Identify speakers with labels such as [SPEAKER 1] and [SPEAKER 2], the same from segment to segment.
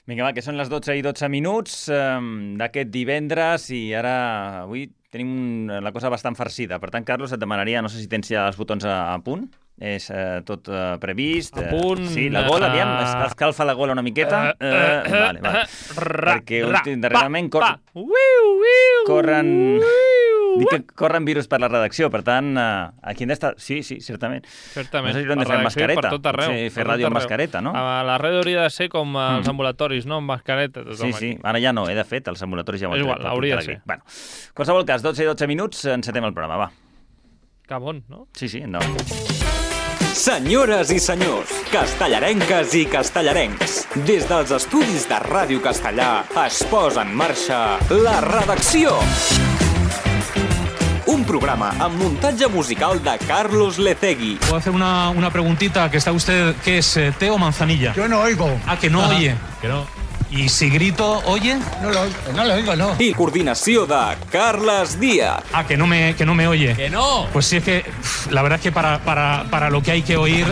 [SPEAKER 1] Vinga, va, que són les 12 i 12 minuts d'aquest divendres i ara avui tenim la cosa bastant farcida. Per tant, Carlos, et demanaria, no sé si tens ja els botons a punt. És tot previst.
[SPEAKER 2] A punt.
[SPEAKER 1] Sí, la gola, aviam, escalfa la gola una miqueta. Vale. Perquè darrerament corren virus per la redacció, per tant, aquí hem d'estar... Sí, certament.
[SPEAKER 2] Certament.
[SPEAKER 1] No sé si hem de fer mascareta.
[SPEAKER 2] Per tot arreu.
[SPEAKER 1] Sí, fer ràdio amb mascareta, no?
[SPEAKER 2] A la ràdio hauria de ser com els ambulatoris, no? Amb mascareta.
[SPEAKER 1] Sí. Ara ja no, de fet, els ambulatoris ja ho han
[SPEAKER 2] tret. És igual, hauria de ser.
[SPEAKER 1] Bueno, qualsevol cas, 12 i 12 minuts, encetem el programa, va.
[SPEAKER 2] Que bon, no?
[SPEAKER 1] Sí, endavant.
[SPEAKER 3] Senyores i senyors, castellarenques i castellarencs, des dels estudis de Ràdio Castellà es posa en marxa La Redacció. Un programa amb muntatge musical de Carlos Lecegui.
[SPEAKER 4] Puedo hacer una preguntita, que está usted, ¿qué es, té o manzanilla?
[SPEAKER 5] Yo no oigo.
[SPEAKER 4] Ah, que no oye.
[SPEAKER 2] Que no.
[SPEAKER 4] ¿Y si grito, oye?
[SPEAKER 5] No lo oigo, no.
[SPEAKER 3] I coordinació de Carles Díaz.
[SPEAKER 4] Ah, que no me oye.
[SPEAKER 2] Que no.
[SPEAKER 4] Pues sí, es que la verdad es que para lo que hay que oír...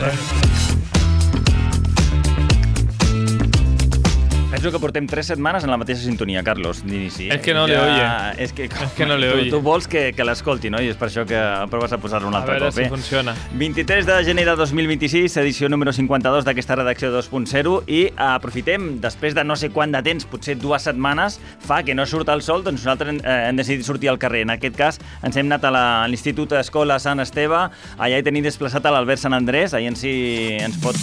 [SPEAKER 1] Penso que portem 3 setmanes en la mateixa sintonia, Carlos, d'inici.
[SPEAKER 2] És que no le oye.
[SPEAKER 1] És que
[SPEAKER 2] no le oye.
[SPEAKER 1] Tu vols que l'escolti, no? I és per això que proves a posar-lo un altre cop.
[SPEAKER 2] A veure si funciona.
[SPEAKER 1] 23 de gener de 2026, edició número 52 d'aquesta redacció 2.0, i aprofitem, després de no sé quant de temps, potser 2 setmanes, fa que no surt el sol, doncs nosaltres hem decidit sortir al carrer. En aquest cas, ens hem anat a l'Institut Escola Sant Esteve, allà hi tenim desplaçat a l'Albert Sant Andrés, allà ens pot...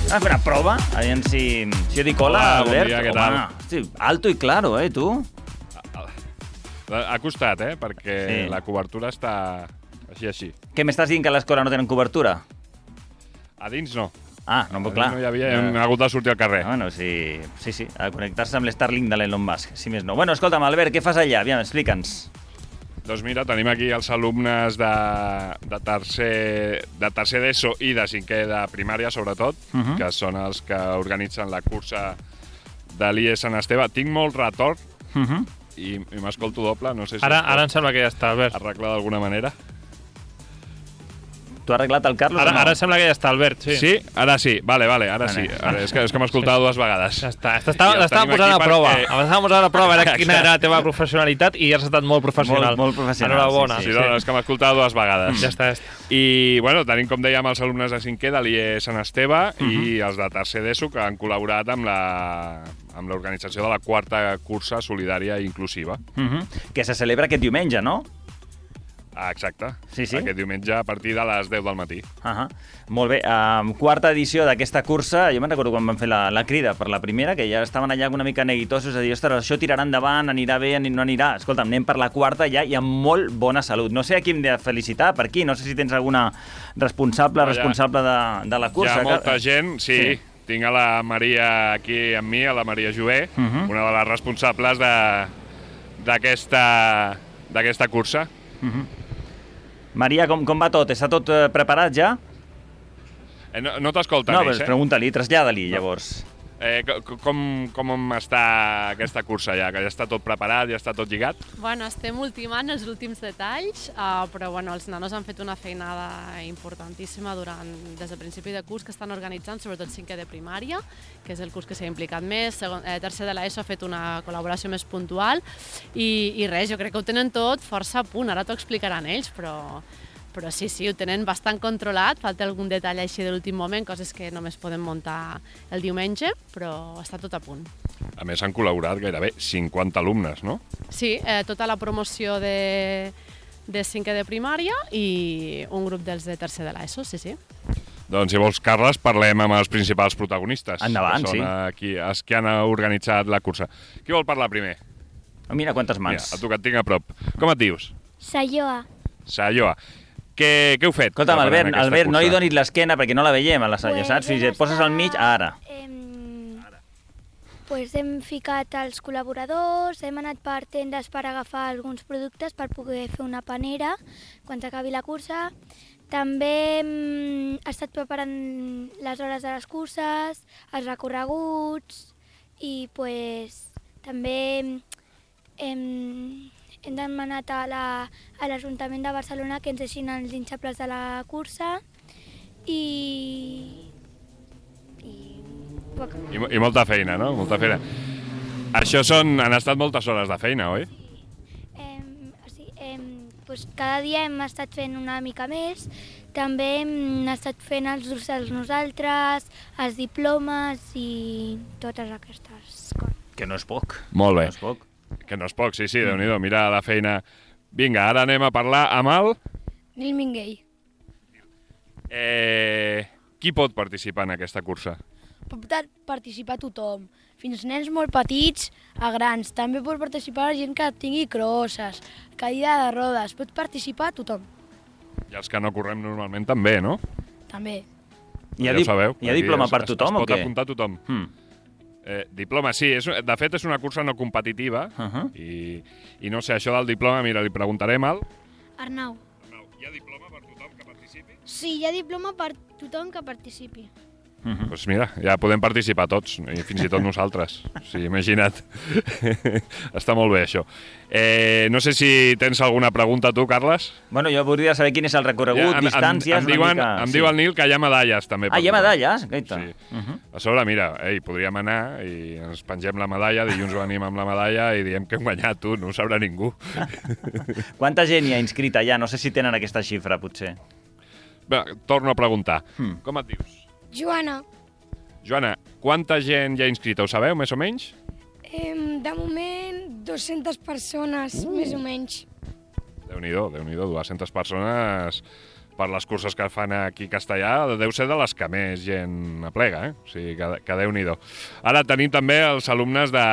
[SPEAKER 1] fer una prova, aviam si jo dic hola, Albert.
[SPEAKER 6] Bon dia, què tal?
[SPEAKER 1] Sí, alto i claro, tu?
[SPEAKER 6] Ha costat, perquè sí. La cobertura està així.
[SPEAKER 1] Què m'estàs dient, que a l'escola no tenen cobertura?
[SPEAKER 6] A dins no.
[SPEAKER 1] No, però clar.
[SPEAKER 6] No hi havia, hem hagut de sortir al carrer.
[SPEAKER 1] Bueno, sí, a connectar-se amb l'Starlink de l'Elon Musk, si més no. Bueno, escolta'm, Albert, què fas allà? Aviam, explica'ns.
[SPEAKER 6] Doncs mira, tenim aquí els alumnes de tercer d'ESO i de cinquè de primària, sobretot, que són els que organitzen la cursa de l'IE Sant Esteve. Tinc molt retorn i m'escolto doble, no sé si...
[SPEAKER 2] Ara em sembla que ja està, Albert.
[SPEAKER 6] Arreglar d'alguna manera.
[SPEAKER 1] Tu has arreglat el Carlos o no?
[SPEAKER 2] Ara sembla que ja està, Albert, sí.
[SPEAKER 6] Sí? Ara sí, vale, ara sí. Ara, és que m'escoltava 2 vegades.
[SPEAKER 2] Ja està, t'estàvem posant a prova. Estàvem posant a prova quina era la teva professionalitat i has estat molt professional.
[SPEAKER 1] Molt professional.
[SPEAKER 2] Enhorabona.
[SPEAKER 6] Sí, és que m'escoltava 2 vegades.
[SPEAKER 2] Ja està.
[SPEAKER 6] I, bueno, tenim, com dèiem, els alumnes de cinquè de l'IE Sant Esteve i els de tercer d'ESO que han col·laborat amb l'organització de la 4a cursa solidària i inclusiva.
[SPEAKER 1] Que se celebra aquest diumenge, no?
[SPEAKER 6] Exacte.
[SPEAKER 1] Sí.
[SPEAKER 6] Aquest diumenge a partir de les 10 del matí.
[SPEAKER 1] Molt bé. 4a edició d'aquesta cursa. Jo me'n recordo quan vam fer la crida per la primera, que ja estaven allà una mica neguitosos a dir, ostres, això tirarà endavant, anirà bé, no anirà. Escolta'm, anem per la 4a ja i amb molt bona salut. No sé a qui hem de felicitar, per aquí. No sé si tens alguna responsable de la cursa.
[SPEAKER 6] Hi ha molta gent, sí. Tinc a la Maria aquí amb mi, a la Maria Jové, una de les responsables d'aquesta cursa.
[SPEAKER 1] Maria, com va tot? Està tot preparat ja?
[SPEAKER 6] No t'escolta,
[SPEAKER 1] No, però pregunta-li, trasllada-li, llavors.
[SPEAKER 6] Com està aquesta cursa ja? Que ja està tot preparat, ja està tot lligat?
[SPEAKER 7] Bueno, estem ultimant els últims detalls, però bueno, els nanos han fet una feinada importantíssima des del principi de curs que estan organitzant, sobretot 5è de primària, que és el curs que s'ha implicat més, tercer de l'ESO ha fet una col·laboració més puntual, i res, jo crec que ho tenen tot força a punt, ara t'ho explicaran ells, però sí, ho tenen bastant controlat, falta algun detall així de l'últim moment, coses que només podem muntar el diumenge, però està tot a punt.
[SPEAKER 6] A més, han col·laborat gairebé 50 alumnes, no?
[SPEAKER 7] Sí, tota la promoció de 5è de primària i un grup dels de tercer de l'ESO, sí.
[SPEAKER 6] Doncs, si vols, Carles, parlem amb els principals protagonistes.
[SPEAKER 1] Endavant,
[SPEAKER 6] que són els que han organitzat la cursa. Qui vol parlar primer?
[SPEAKER 1] Mira quantes mans.
[SPEAKER 6] Mira, a tu que et tinc a prop. Com et dius?
[SPEAKER 8] Sayoa.
[SPEAKER 6] Què heu fet?
[SPEAKER 1] Escolta'm, Albert, no li donis l'esquena perquè no la veiem a la Saia, saps? Si et poses al mig, ara.
[SPEAKER 8] Pues hem ficat els col·laboradors, hem anat per tendes per agafar alguns productes per poder fer una panera quan s'acabi la cursa. També hem estat preparant les hores de les curses, els recorreguts i pues, també hem demanat a l'Ajuntament de Barcelona que ens deixin els hinxables de la cursa i
[SPEAKER 5] Poca.
[SPEAKER 6] I molta feina, no? Molta feina. Això han estat moltes hores de feina, oi?
[SPEAKER 8] Pues cada dia hem estat fent una mica més. També hem estat fent els dorsals nosaltres, els diplomes i totes aquestes coses.
[SPEAKER 1] Que no és poc.
[SPEAKER 6] Molt bé.
[SPEAKER 1] No és poc.
[SPEAKER 6] Que no és poc, sí, Déu-n'hi-do, mira la feina. Vinga, ara anem a parlar amb el...
[SPEAKER 5] Nil Minguell.
[SPEAKER 6] Qui pot participar en aquesta cursa?
[SPEAKER 5] Pot participar tothom, fins nens molt petits a grans. També pot participar la gent que tingui crosses, cadira de rodes, pot participar tothom.
[SPEAKER 6] I els que no correm normalment també, no?
[SPEAKER 5] També.
[SPEAKER 1] Hi ha
[SPEAKER 6] Aquí
[SPEAKER 1] diploma per tothom o què?
[SPEAKER 6] Es pot apuntar tothom. Diploma, sí. De fet, és una cursa no competitiva i no sé, això del diploma, mira, li preguntarem al...
[SPEAKER 5] Arnau.
[SPEAKER 6] Hi ha diploma per tothom que participi?
[SPEAKER 5] Sí, hi ha diploma per tothom que participi.
[SPEAKER 6] Doncs mira, ja podem participar tots, i fins i tot nosaltres. Sí, imagina't. Està molt bé, això. No sé si tens alguna pregunta tu, Carles.
[SPEAKER 1] Bueno, jo voldria saber quin és el recorregut, distàncies...
[SPEAKER 6] Em diu el Nil que hi ha medalles, també.
[SPEAKER 1] Ah, hi ha medalles? Gaita.
[SPEAKER 6] Sí. A sobre, mira, podríem anar i ens pengem la medalla, dilluns venim amb la medalla i diem que hem guanyat, tu, no ho sabrà ningú.
[SPEAKER 1] Quanta gent hi ha inscrita ja? No sé si tenen aquesta xifra, potser.
[SPEAKER 6] Bé, torno a preguntar. Com et dius?
[SPEAKER 5] Joana.
[SPEAKER 6] Joana, quanta gent hi ha inscrita? Ho sabeu, més o menys?
[SPEAKER 5] De moment, 200 persones, més o menys.
[SPEAKER 6] Déu-n'hi-do, 200 persones per les curses que fan aquí a Castellà, deu ser de les que més gent aplega, O sigui, que Déu-n'hi-do. Ara tenim també els alumnes de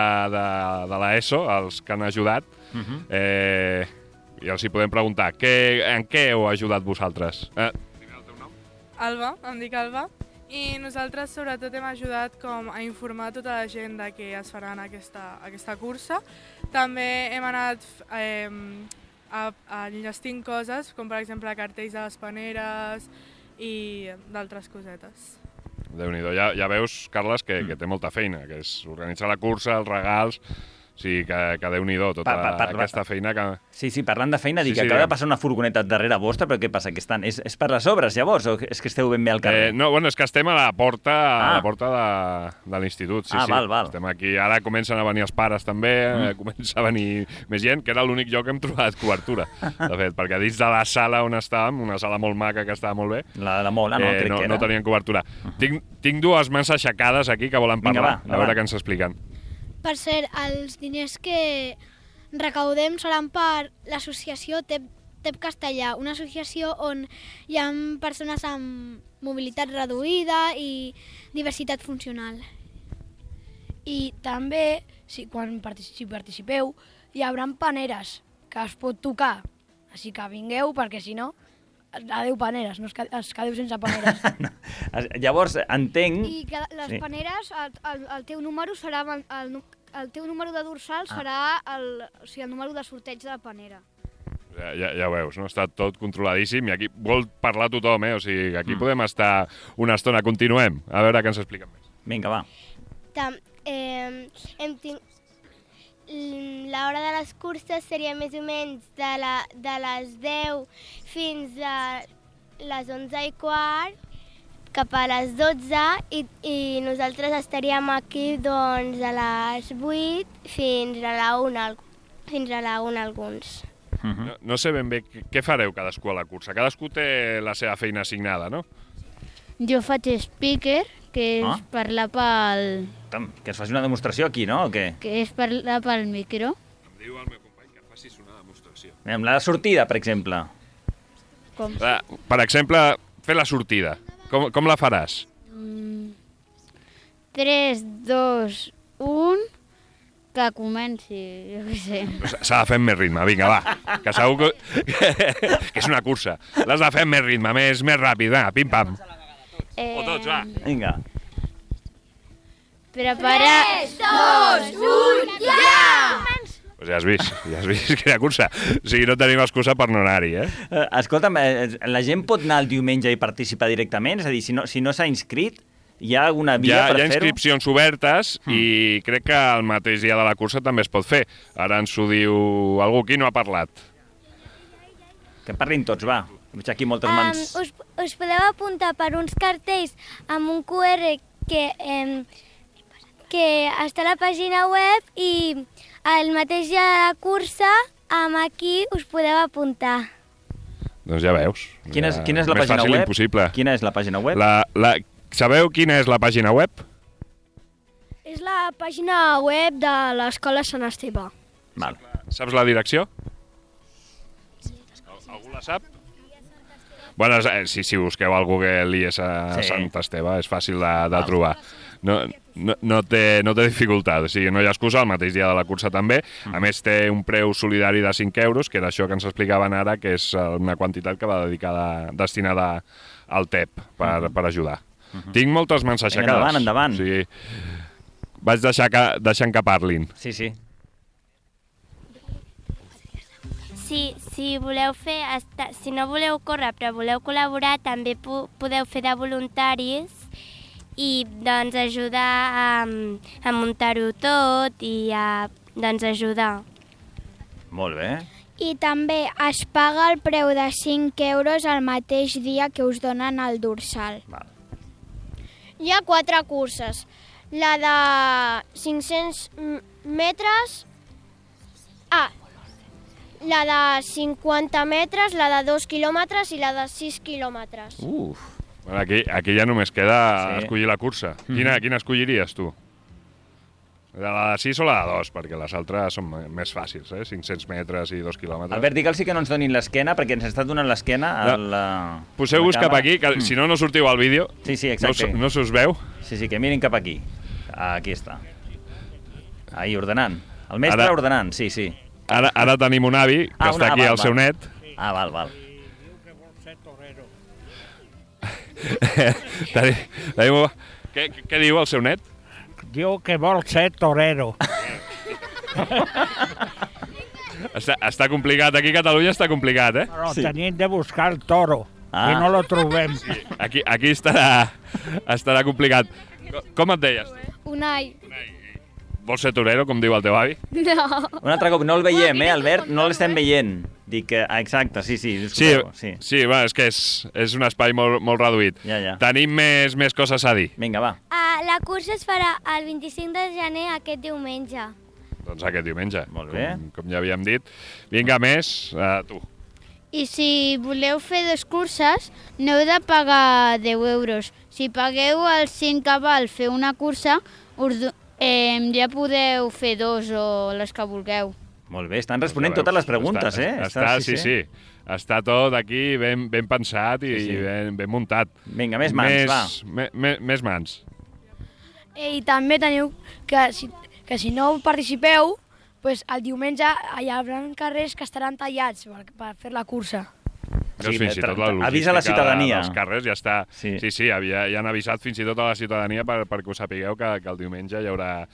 [SPEAKER 6] l'ESO, els que han ajudat, i els hi podem preguntar, en què heu ajudat vosaltres? Primer el teu nom?
[SPEAKER 9] Alba, em dic Alba. I nosaltres sobretot hem ajudat com a informar tota la gent de que es farà aquesta cursa. També hem anat enllestint coses, com per exemple cartells de les paneres i d'altres cosetes.
[SPEAKER 6] Déu-n'hi-do, ja veus, Carles, que té molta feina, que és organitzar la cursa, els regals... Sí, que Déu-n'hi-do, tota aquesta feina que...
[SPEAKER 1] Sí, parlant de feina, dic que acaba de passar una furgoneta darrere vostra, però què passa? Que és per les obres, llavors, o és que esteu ben bé al carrer?
[SPEAKER 6] No, bueno, és que estem a la porta de l'institut, sí.
[SPEAKER 1] Val.
[SPEAKER 6] Estem aquí, ara comencen a venir els pares també, comença a venir més gent, que era l'únic lloc que hem trobat cobertura, de fet, perquè dins de la sala on estàvem, una sala molt maca que estava molt bé,
[SPEAKER 1] la de Mola, no, crec que era.
[SPEAKER 6] No tenien cobertura. Tinc dues mans aixecades aquí que volen parlar, a veure què ens expliquen.
[SPEAKER 10] Per cert, els diners que recaudem seran per l'associació TEP Castellà, una associació on hi ha persones amb mobilitat reduïda i diversitat funcional.
[SPEAKER 5] I també, quan participeu, hi haurà paneres que es pot tocar, així que vingueu, perquè si no, adeu paneres, no es quedeu sense paneres.
[SPEAKER 1] Llavors, entenc...
[SPEAKER 10] I que les paneres, el teu número serà... El teu número de dorsal serà el número de sorteig de la panera.
[SPEAKER 6] Ja veus, no? Està tot controladíssim i aquí vol parlar tothom, O sigui, aquí podem estar una estona. Continuem, a veure què ens expliquen més.
[SPEAKER 1] Vinga, va.
[SPEAKER 11] L'hora de les curses seria més o menys de les 10 fins a les 11:15, cap a les 12 i nosaltres estaríem aquí doncs a les 8 fins a la 1 alguns.
[SPEAKER 6] No sé ben bé què fareu cadascú a la cursa. Cadascú té la seva feina assignada, no?
[SPEAKER 12] Jo faig speaker, que és parlar pel...
[SPEAKER 1] Que es faci una demostració aquí, no? O què?
[SPEAKER 12] Que és parlar pel micro.
[SPEAKER 6] Em diu el meu company que facis una demostració.
[SPEAKER 1] Amb la sortida, per exemple.
[SPEAKER 12] Com?
[SPEAKER 6] Per exemple, fer la sortida. Com la faràs?
[SPEAKER 12] 3, 2, 1... Que comenci, jo què sé.
[SPEAKER 6] S'ha de fer amb més ritme, vinga, va. Que segur que és una cursa. L'has de fer amb més ritme, més ràpid, va, pim-pam. O tots, va.
[SPEAKER 1] Vinga.
[SPEAKER 12] Prepara...
[SPEAKER 11] 3, 2, 1, ja!
[SPEAKER 6] Pues ja has vist quina cursa. O sigui, no tenim excusa per no anar-hi,
[SPEAKER 1] Escolta'm, la gent pot anar el diumenge i participar directament? És a dir, si no s'ha inscrit, hi ha alguna via per fer-ho?
[SPEAKER 6] Hi ha inscripcions obertes i crec que el mateix dia de la cursa també es pot fer. Ara ens ho diu algú. Qui no ha parlat?
[SPEAKER 1] Que parlin tots, va. Veig aquí moltes mans.
[SPEAKER 11] Us podeu apuntar per uns cartells amb un QR que que està a la pàgina web i el mateix dia de la cursa aquí us podeu apuntar.
[SPEAKER 6] Doncs ja veus.
[SPEAKER 1] Quina és la
[SPEAKER 6] més
[SPEAKER 1] pàgina
[SPEAKER 6] fàcil
[SPEAKER 1] web?
[SPEAKER 6] impossible.
[SPEAKER 1] Quina és la pàgina web?
[SPEAKER 6] Sabeu quina és la pàgina web?
[SPEAKER 10] És la pàgina web de l'Escola Sant Esteve.
[SPEAKER 1] Val.
[SPEAKER 6] Saps la direcció? Algú la sap? Bueno, si busqueu al Google IES a Sant Esteve és fàcil de trobar. No té dificultat, o sigui, no hi ha excusa, el mateix dia de la cursa també. A més, té un preu solidari de 5 euros, que era això que ens explicaven ara, que és una quantitat que va destinada al TEP per ajudar. Tinc moltes mans aixecades.
[SPEAKER 1] Endavant.
[SPEAKER 6] O sigui, vaig deixant que parlin.
[SPEAKER 1] Sí.
[SPEAKER 11] Si voleu fer, si no voleu córrer però voleu col·laborar, també podeu fer de voluntaris i doncs ajudar a muntar-ho tot i a ajudar.
[SPEAKER 1] Molt bé.
[SPEAKER 10] I també es paga el preu de 5 euros el mateix dia que us donen el dorsal.
[SPEAKER 1] Val.
[SPEAKER 10] Hi ha 4 curses. La de 500 metres... la de 50 metres, la de 2 quilòmetres i la de 6 quilòmetres.
[SPEAKER 6] Bueno, aquí ja només queda escollir la cursa. Quina escolliries, tu? La de 6 o la de 2? Perquè les altres són més fàcils, 500 metres i 2 quilòmetres.
[SPEAKER 1] Albert, digue'ls que no ens donin l'esquena, perquè ens està donant l'esquena a la...
[SPEAKER 6] Poseu-vos cap aquí, que si no sortiu al vídeo.
[SPEAKER 1] Sí, exacte.
[SPEAKER 6] No se us veu.
[SPEAKER 1] Sí, que mirin cap aquí. Aquí està. Ahí, ordenant. El mestre ordenant, sí.
[SPEAKER 6] Ara tenim un avi que està aquí al seu net.
[SPEAKER 1] Val.
[SPEAKER 6] Què diu el seu net?
[SPEAKER 13] Diu que vol ser torero.
[SPEAKER 6] Està complicat. Aquí a Catalunya està complicat, eh?
[SPEAKER 13] Però tenim de buscar el toro i no lo trobem.
[SPEAKER 6] Sí. Aquí estarà complicat. Com et deies?
[SPEAKER 10] Unai.
[SPEAKER 6] Vols ser torero, com diu el teu avi?
[SPEAKER 10] No.
[SPEAKER 1] Un altre cop, no el veiem, Albert? No l'estem veient. Dic que... Exacte, sí.
[SPEAKER 6] Sí, és que és un espai molt reduït.
[SPEAKER 1] Ja.
[SPEAKER 6] Tenim més coses a dir.
[SPEAKER 1] Vinga, va.
[SPEAKER 11] La cursa es farà el 25 de gener aquest diumenge.
[SPEAKER 6] Doncs aquest diumenge.
[SPEAKER 1] Molt bé.
[SPEAKER 6] Com ja havíem dit. Vinga, més, tu.
[SPEAKER 12] I si voleu fer 2 curses, no heu de pagar 10 euros. Si pagueu els 5 que val fer una cursa, ja podeu fer 2 o les que vulgueu.
[SPEAKER 1] Molt bé, estan responent totes les preguntes,
[SPEAKER 6] Sí. Està tot aquí ben pensat i ben muntat.
[SPEAKER 1] Vinga, més mans, va.
[SPEAKER 6] Més mans.
[SPEAKER 5] I també teniu que si no participeu, pues, el diumenge hi haurà carrers que estaran tallats per fer la cursa.
[SPEAKER 6] Fins i tot la
[SPEAKER 1] avisa la ciutadania.
[SPEAKER 6] dels carrers ja està... Sí, ja han avisat fins i tot a la ciutadania perquè us sapigueu que el diumenge hi haurà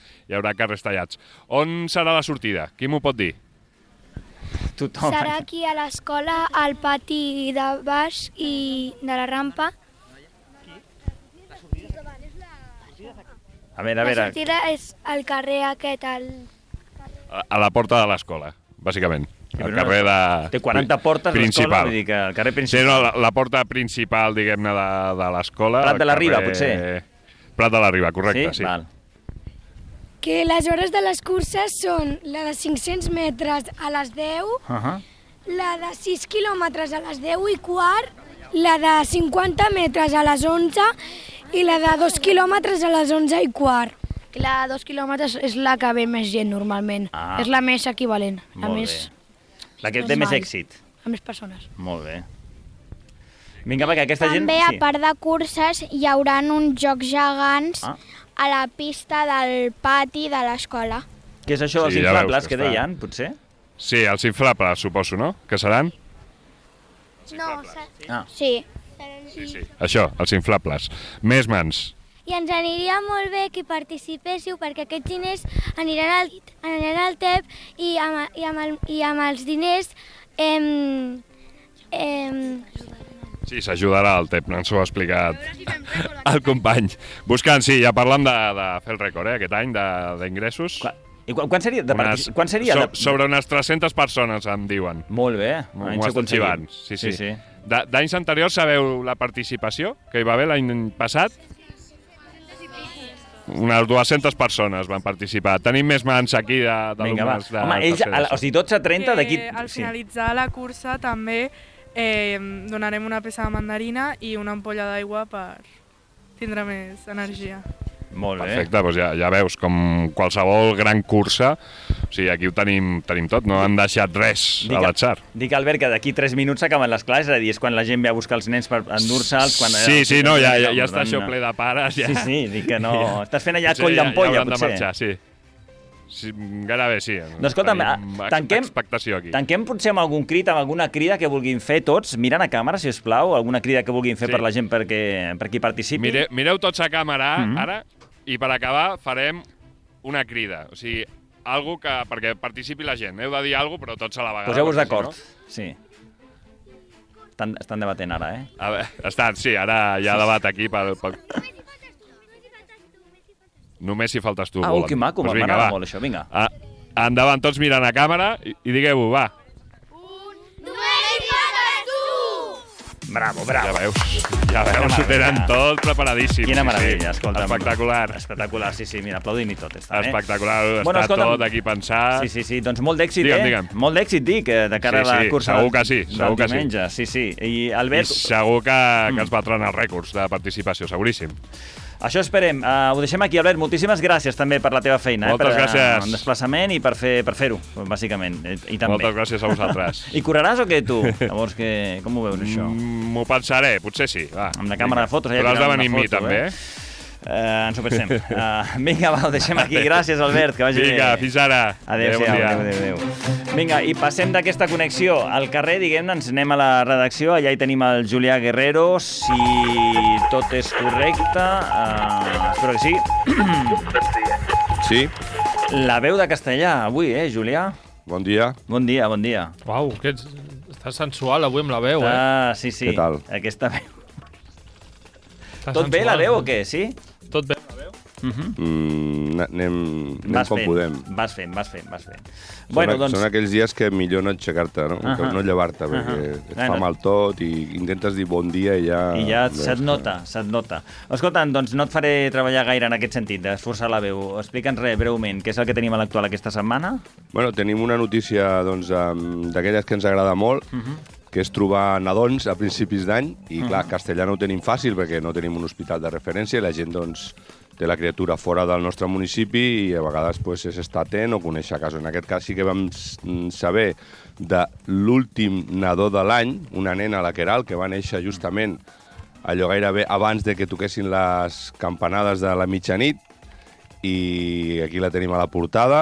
[SPEAKER 6] carrers tallats. On serà la sortida? Qui m'ho pot dir?
[SPEAKER 1] Tothom.
[SPEAKER 10] Serà aquí a l'escola, al pati de baix i de la rampa.
[SPEAKER 1] A veure.
[SPEAKER 10] La sortida és al carrer aquest,
[SPEAKER 6] A la porta de l'escola, bàsicament. El carrer
[SPEAKER 1] Té 40 portes l'escola, vull dir que el carrer principal.
[SPEAKER 6] Sí, no, la porta principal, diguem-ne, de l'escola.
[SPEAKER 1] Prat de la Riba, potser?
[SPEAKER 6] Prat de la Riba, correcte, sí.
[SPEAKER 1] Val.
[SPEAKER 10] Que les hores de les curses són la de 500 metres a les 10, la de 6 quilòmetres a les 10:15, la de 50 metres a les 11 i la de 2 quilòmetres a les 11:15.
[SPEAKER 5] La de 2 quilòmetres és la que ve més gent normalment. És la més equivalent.
[SPEAKER 1] La que té més èxit.
[SPEAKER 5] A més persones.
[SPEAKER 1] Molt bé. Vinga, perquè aquesta gent...
[SPEAKER 10] També, a part de curses, hi haurà uns jocs gegants a la pista del pati de l'escola.
[SPEAKER 1] Què és això dels inflables que deien, potser?
[SPEAKER 6] Sí, els inflables, suposo, no? Que seran?
[SPEAKER 10] No, sí.
[SPEAKER 6] Sí. Això, els inflables. Més mans.
[SPEAKER 11] I ens aniria molt bé que participéssiu perquè aquests diners aniran al TEP i amb els diners
[SPEAKER 6] Sí, s'ajudarà al TEP, ens ho ha explicat el company. Buscant, sí, ja parlant de fer el rècord, aquest any, d'ingressos.
[SPEAKER 1] I quan seria?
[SPEAKER 6] Sobre unes 300 persones, em diuen.
[SPEAKER 1] Molt bé.
[SPEAKER 6] M'ho estan xivant. Sí. D'anys anteriors sabeu la participació que hi va haver l'any passat? unes 200 persones van participar. Tenim més mans aquí d'alumnes de...
[SPEAKER 1] Home, ells, o sigui, 12:30 d'aquí...
[SPEAKER 9] Al finalitzar la cursa també donarem una peça de mandarina i una ampolla d'aigua per tindre més energia.
[SPEAKER 1] Molt bé.
[SPEAKER 6] Perfecte, doncs ja veus, com qualsevol gran cursa, o sigui, aquí ho tenim tot, no han deixat res a l'atzar.
[SPEAKER 1] Dic, Albert, que d'aquí 3 minuts s'acaben les classes, és a dir, és quan la gent ve a buscar els nens per endur-se'ls...
[SPEAKER 6] Sí, no, ja està això ple de pares.
[SPEAKER 1] Sí, dic que no... Estàs fent allà coll d'ampolla, potser.
[SPEAKER 6] Ja hauran de marxar, sí. Gairebé sí.
[SPEAKER 1] Doncs escolta'm, tanquem potser amb algun crit, amb alguna crida que vulguin fer tots, mirant a càmera, si us plau, alguna crida que vulguin fer per la gent per qui participi.
[SPEAKER 6] Mireu tots a càmera, ara, i per acabar farem una crida, o sigui, algo perquè participi la gent. Heu de dir alguna cosa, però tots a la vegada.
[SPEAKER 1] Poseu-vos d'acord, sí. Estan debatent ara,
[SPEAKER 6] A veure, sí, ara hi ha debat aquí pel... Només si faltes tu.
[SPEAKER 1] Que maco, m'agrada molt això, vinga.
[SPEAKER 6] Endavant, tots mirant a càmera i digueu-ho, va.
[SPEAKER 11] Només si faltes tu!
[SPEAKER 1] Bravo.
[SPEAKER 6] Ja veus, ho tenen tot preparadíssim.
[SPEAKER 1] Quina meravella, escolta'm.
[SPEAKER 6] Espectacular.
[SPEAKER 1] Sí, mira, aplaudim-hi tot.
[SPEAKER 6] Espectacular, està tot aquí pensat.
[SPEAKER 1] Sí, doncs molt d'èxit, Digue'm. Molt d'èxit, dic, de cara a la cursa
[SPEAKER 6] segur que sí.
[SPEAKER 1] diumenge. Sí. I Albert...
[SPEAKER 6] I segur que es batran els rècords de participació, seguríssim.
[SPEAKER 1] Això esperem. Ho deixem aquí, Albert. Moltíssimes gràcies també per la teva feina.
[SPEAKER 6] Moltes gràcies.
[SPEAKER 1] Per desplaçament i per fer-ho, bàsicament. I també.
[SPEAKER 6] Moltes gràcies a vosaltres.
[SPEAKER 1] I correràs o què, tu? Llavors, com ho veus, això?
[SPEAKER 6] M'ho pensaré, potser sí. Va,
[SPEAKER 1] amb la càmera de fotos.
[SPEAKER 6] Però has de venir amb mi, també.
[SPEAKER 1] Ens ho pensem. Vinga, ho deixem aquí. Gràcies, Albert, que vagi bé.
[SPEAKER 6] Vinga, fins ara.
[SPEAKER 1] Adéu. Vinga, i passem d'aquesta connexió al carrer, diguem-ne, ens anem a la redacció. Allà hi tenim el Julià Guerrero, si tot és correcte. Espero que sí.
[SPEAKER 14] Sí.
[SPEAKER 1] La veu de castellà avui, Julià?
[SPEAKER 14] Bon dia.
[SPEAKER 1] Bon dia.
[SPEAKER 2] Uau, estàs sensual avui amb la veu,
[SPEAKER 1] Sí.
[SPEAKER 14] Què tal?
[SPEAKER 1] Aquesta veu. Tot bé la veu o què, sí?
[SPEAKER 2] Tot bé la veu?
[SPEAKER 14] Anem com podem.
[SPEAKER 1] Vas fent.
[SPEAKER 14] Són aquells dies que millor no aixecar-te, no llevar-te, perquè et fa mal tot i intentes dir bon dia i ja...
[SPEAKER 1] I ja se't nota. Escolta'm, doncs no et faré treballar gaire en aquest sentit, d'esforçar la veu. Explica'ns breument, què és el que tenim a l'actual aquesta setmana?
[SPEAKER 14] Bueno, tenim una notícia d'aquelles que ens agrada molt, que és trobar nadons a principis d'any, i clar, castellà no ho tenim fàcil perquè no tenim un hospital de referència i la gent doncs té la criatura fora del nostre municipi i a vegades pues, s'està atent o conèixer casos. En aquest cas sí que vam saber de l'últim nadó de l'any, una nena, la Queralt, que va néixer justament allò gairebé abans de que toquessin les campanades de la mitjanit, i aquí la tenim a la portada,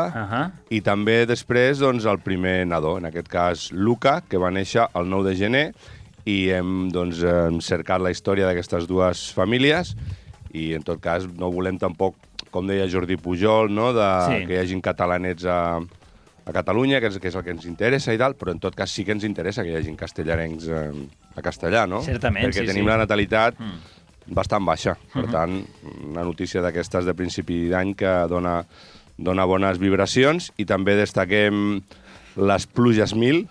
[SPEAKER 14] i també després doncs, el primer nadó, en aquest cas Luca, que va néixer el 9 de gener, i hem cercat la història d'aquestes dues famílies, i en tot cas no volem tampoc, com deia Jordi Pujol, que hi hagin catalanets a Catalunya, que és el que ens interessa i tal, però en tot cas sí que ens interessa que hi hagin castellarencs a castellà, no?
[SPEAKER 1] Certament,
[SPEAKER 14] perquè tenim la natalitat bastant baixa. Per tant, una notícia d'aquestes de principi d'any que dona bones vibracions, i també destaquem les pluges 1000.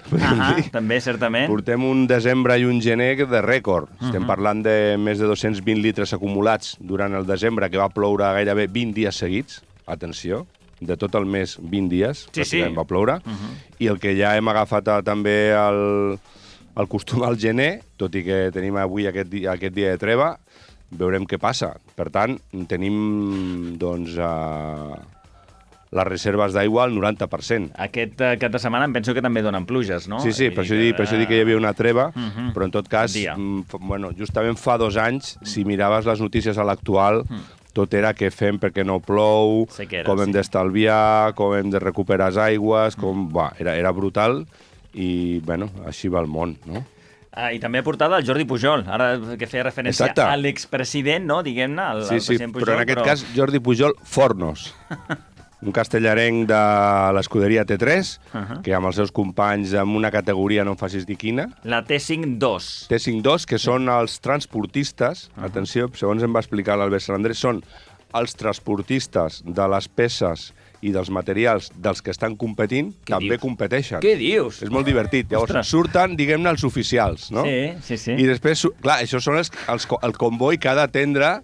[SPEAKER 1] També, certament.
[SPEAKER 14] Portem un desembre i un gener de rècord. Estem parlant de més de 220 litres acumulats durant el desembre, que va ploure gairebé 20 dies seguits. Atenció, de tot el mes 20 dies va ploure. I el que ja hem agafat també el costum al gener, tot i que tenim avui aquest dia de treva, veurem què passa. Per tant, tenim les reserves d'aigua al 90%.
[SPEAKER 1] Aquest cap de setmana em penso que també donen pluges, no?
[SPEAKER 14] Sí, per això dic que hi havia una treva, però en tot cas, justament fa 2 anys, si miraves les notícies a l'actual, tot era què fem perquè no plou, com hem d'estalviar, com hem de recuperar les aigües, era brutal, i així va el món, no?
[SPEAKER 1] I també ha portat el Jordi Pujol, ara que feia referència a l'expresident, no? Diguem-ne, el president Pujol.
[SPEAKER 14] Però en aquest cas Jordi Pujol Fornos, un castellarenc de l'escuderia T3, que amb els seus companys en una categoria, no em facis dir quina.
[SPEAKER 1] La T5-2.
[SPEAKER 14] T5-2, que són els transportistes, atenció, segons em va explicar l'Albert Sant Andrés, són els transportistes de les peces i dels materials dels que estan competint, també competeixen.
[SPEAKER 1] Què dius?
[SPEAKER 14] És molt divertit. Llavors, surten, diguem-ne, els oficials, no?
[SPEAKER 1] Sí.
[SPEAKER 14] I després, clar, això són el comboi que ha d'atendre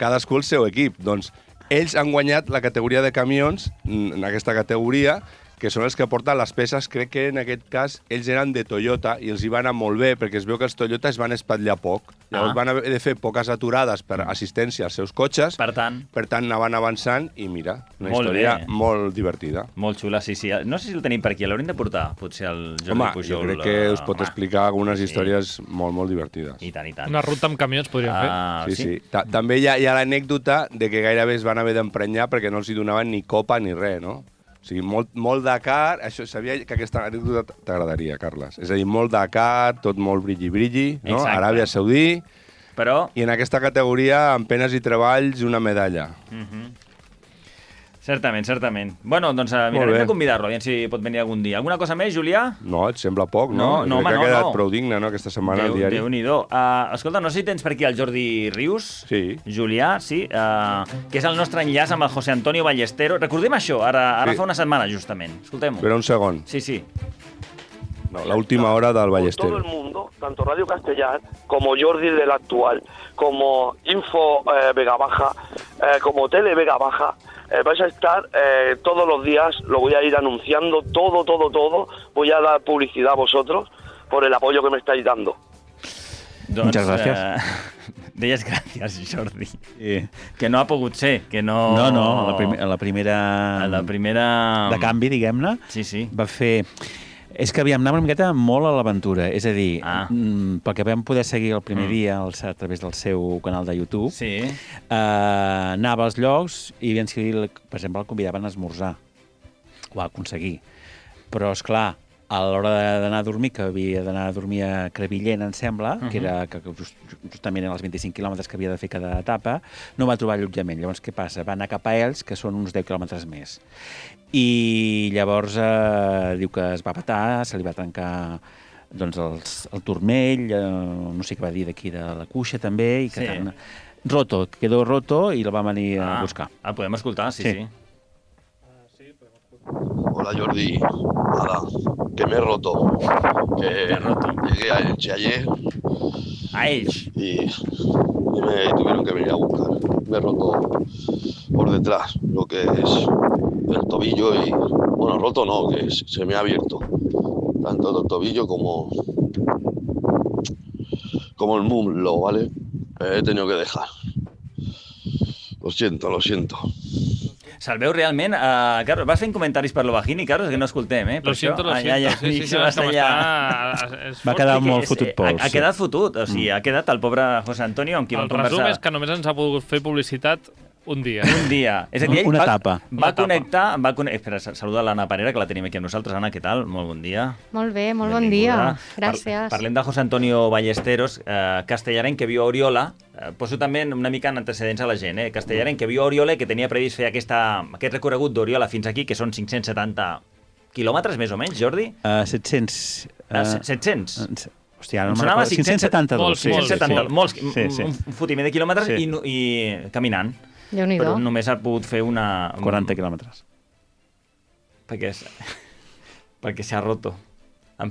[SPEAKER 14] cadascú el seu equip. Doncs ells han guanyat la categoria de camions, en aquesta categoria, que són els que porten les peces. Crec que en aquest cas ells eren de Toyota i els hi va anar molt bé, perquè es veu que els Toyota es van espatllar poc. Llavors van haver de fer poques aturades per assistència als seus cotxes.
[SPEAKER 1] Per tant,
[SPEAKER 14] anaven avançant i mira, una història molt divertida.
[SPEAKER 1] Molt xula, sí. No sé si el tenim per aquí, l'hauríem de portar, potser el Jordi Pujol.
[SPEAKER 14] Jo crec que us pot explicar algunes històries molt divertides.
[SPEAKER 1] I tant, i tant.
[SPEAKER 2] Una ruta amb camions podríem fer.
[SPEAKER 14] Sí. També hi ha l'anècdota de que gairebé es van haver d'emprenyar perquè no els hi donaven ni copa ni res, no? O sigui, molt Dakar, això sabia que aquesta anècdota t'agradaria, Carles. És a dir, molt Dakar, tot molt brilli, no?
[SPEAKER 1] Exacte.
[SPEAKER 14] Aràbia Saudí,
[SPEAKER 1] però...
[SPEAKER 14] i en aquesta categoria, amb penes i treballs, una medalla.
[SPEAKER 1] Certament. Bueno, doncs mirarem de convidar-lo, aviam si pot venir algun dia. Alguna cosa més, Julià?
[SPEAKER 14] No, et sembla poc, no?
[SPEAKER 1] No,
[SPEAKER 14] crec que ha quedat prou digne, no?, aquesta setmana al diari.
[SPEAKER 1] Déu-n'hi-do. Escolta, no sé si tens per aquí el Jordi Rius.
[SPEAKER 14] Sí.
[SPEAKER 1] Julià, sí, que és el nostre enllaç amb el José Antonio Ballestero. Recordem això, ara fa una setmana, justament. Escoltem-ho.
[SPEAKER 14] Espera un segon.
[SPEAKER 1] Sí.
[SPEAKER 14] No, la última hora del Ballestero.
[SPEAKER 15] Todo el mundo, tanto Radio Castellar como Jordi del Actual, como Info Vega Baja, como Tele Vega Baja, vais a estar todos los días, lo voy a ir anunciando, todo. Voy a dar publicidad a vosotros por el apoyo que me estáis dando.
[SPEAKER 16] Muchas gracias.
[SPEAKER 1] Deies gràcies, Jordi. Que no ha pogut ser, que no...
[SPEAKER 16] No, la primera... de canvi, diguem-ne, va fer... És que anava una miqueta molt a l'aventura, és a dir, pel que vam poder seguir el primer dia a través del seu canal de YouTube, anava als llocs i, per exemple, el convidaven a esmorzar. Ho va aconseguir. Però, esclar, a l'hora d'anar a dormir, que havia d'anar a dormir a Crevillent, em sembla, que era justament en els 25 quilòmetres que havia de fer cada etapa, no va trobar allotjament. Llavors, què passa? Va anar cap a ells, que són uns 10 quilòmetres més. I llavors diu que es va petar, se li va trencar el turmell, no sé què va dir d'aquí de la cuixa també, i que quedó roto i el va venir a buscar.
[SPEAKER 1] El podem escoltar, sí.
[SPEAKER 17] Hola Jordi, nada, que me he roto. Llegué a Elche ayer.
[SPEAKER 1] ¿A Elche?
[SPEAKER 17] Y me tuvieron que venir a buscar. Me he roto por detrás lo que es el tobillo y... Bueno, roto no, que se me ha abierto. Tanto el tobillo como el muslo, ¿vale? He tenido que dejar. Lo siento.
[SPEAKER 1] Se'l veu realment... Carlos, vas fent comentaris per l'Ovagini, Carlos, que no escoltem,
[SPEAKER 2] Lo siento. Sí,
[SPEAKER 16] va quedar molt fotut pols.
[SPEAKER 1] Ha quedat fotut, o sigui, ha quedat el pobre José Antonio amb qui vam conversar.
[SPEAKER 2] El resum és que només ens ha pogut fer publicitat un dia.
[SPEAKER 1] És a dir, ell
[SPEAKER 16] una etapa.
[SPEAKER 1] Va connectar... Espera, saluda l'Anna Parera, que la tenim aquí amb nosaltres. Anna, què tal? Molt bon dia.
[SPEAKER 18] Molt bé, molt bon dia. Gràcies.
[SPEAKER 1] Parlem de José Antonio Ballesteros, castellaren que viu a Oriola. Poso també una mica en antecedents a la gent. Castellaren que viu a Oriola, que tenia previst fer aquest recorregut d'Oriola fins aquí, que són 570 quilòmetres, més o menys, Jordi?
[SPEAKER 16] 700.
[SPEAKER 1] 700?
[SPEAKER 16] Hòstia, no me'n recordo. 572.
[SPEAKER 1] Molts, un fotiment de quilòmetres i caminant.
[SPEAKER 18] Déu-n'hi-do.
[SPEAKER 1] Però només ha pogut fer
[SPEAKER 16] 40 quilòmetres.
[SPEAKER 1] Perquè s'ha roto. No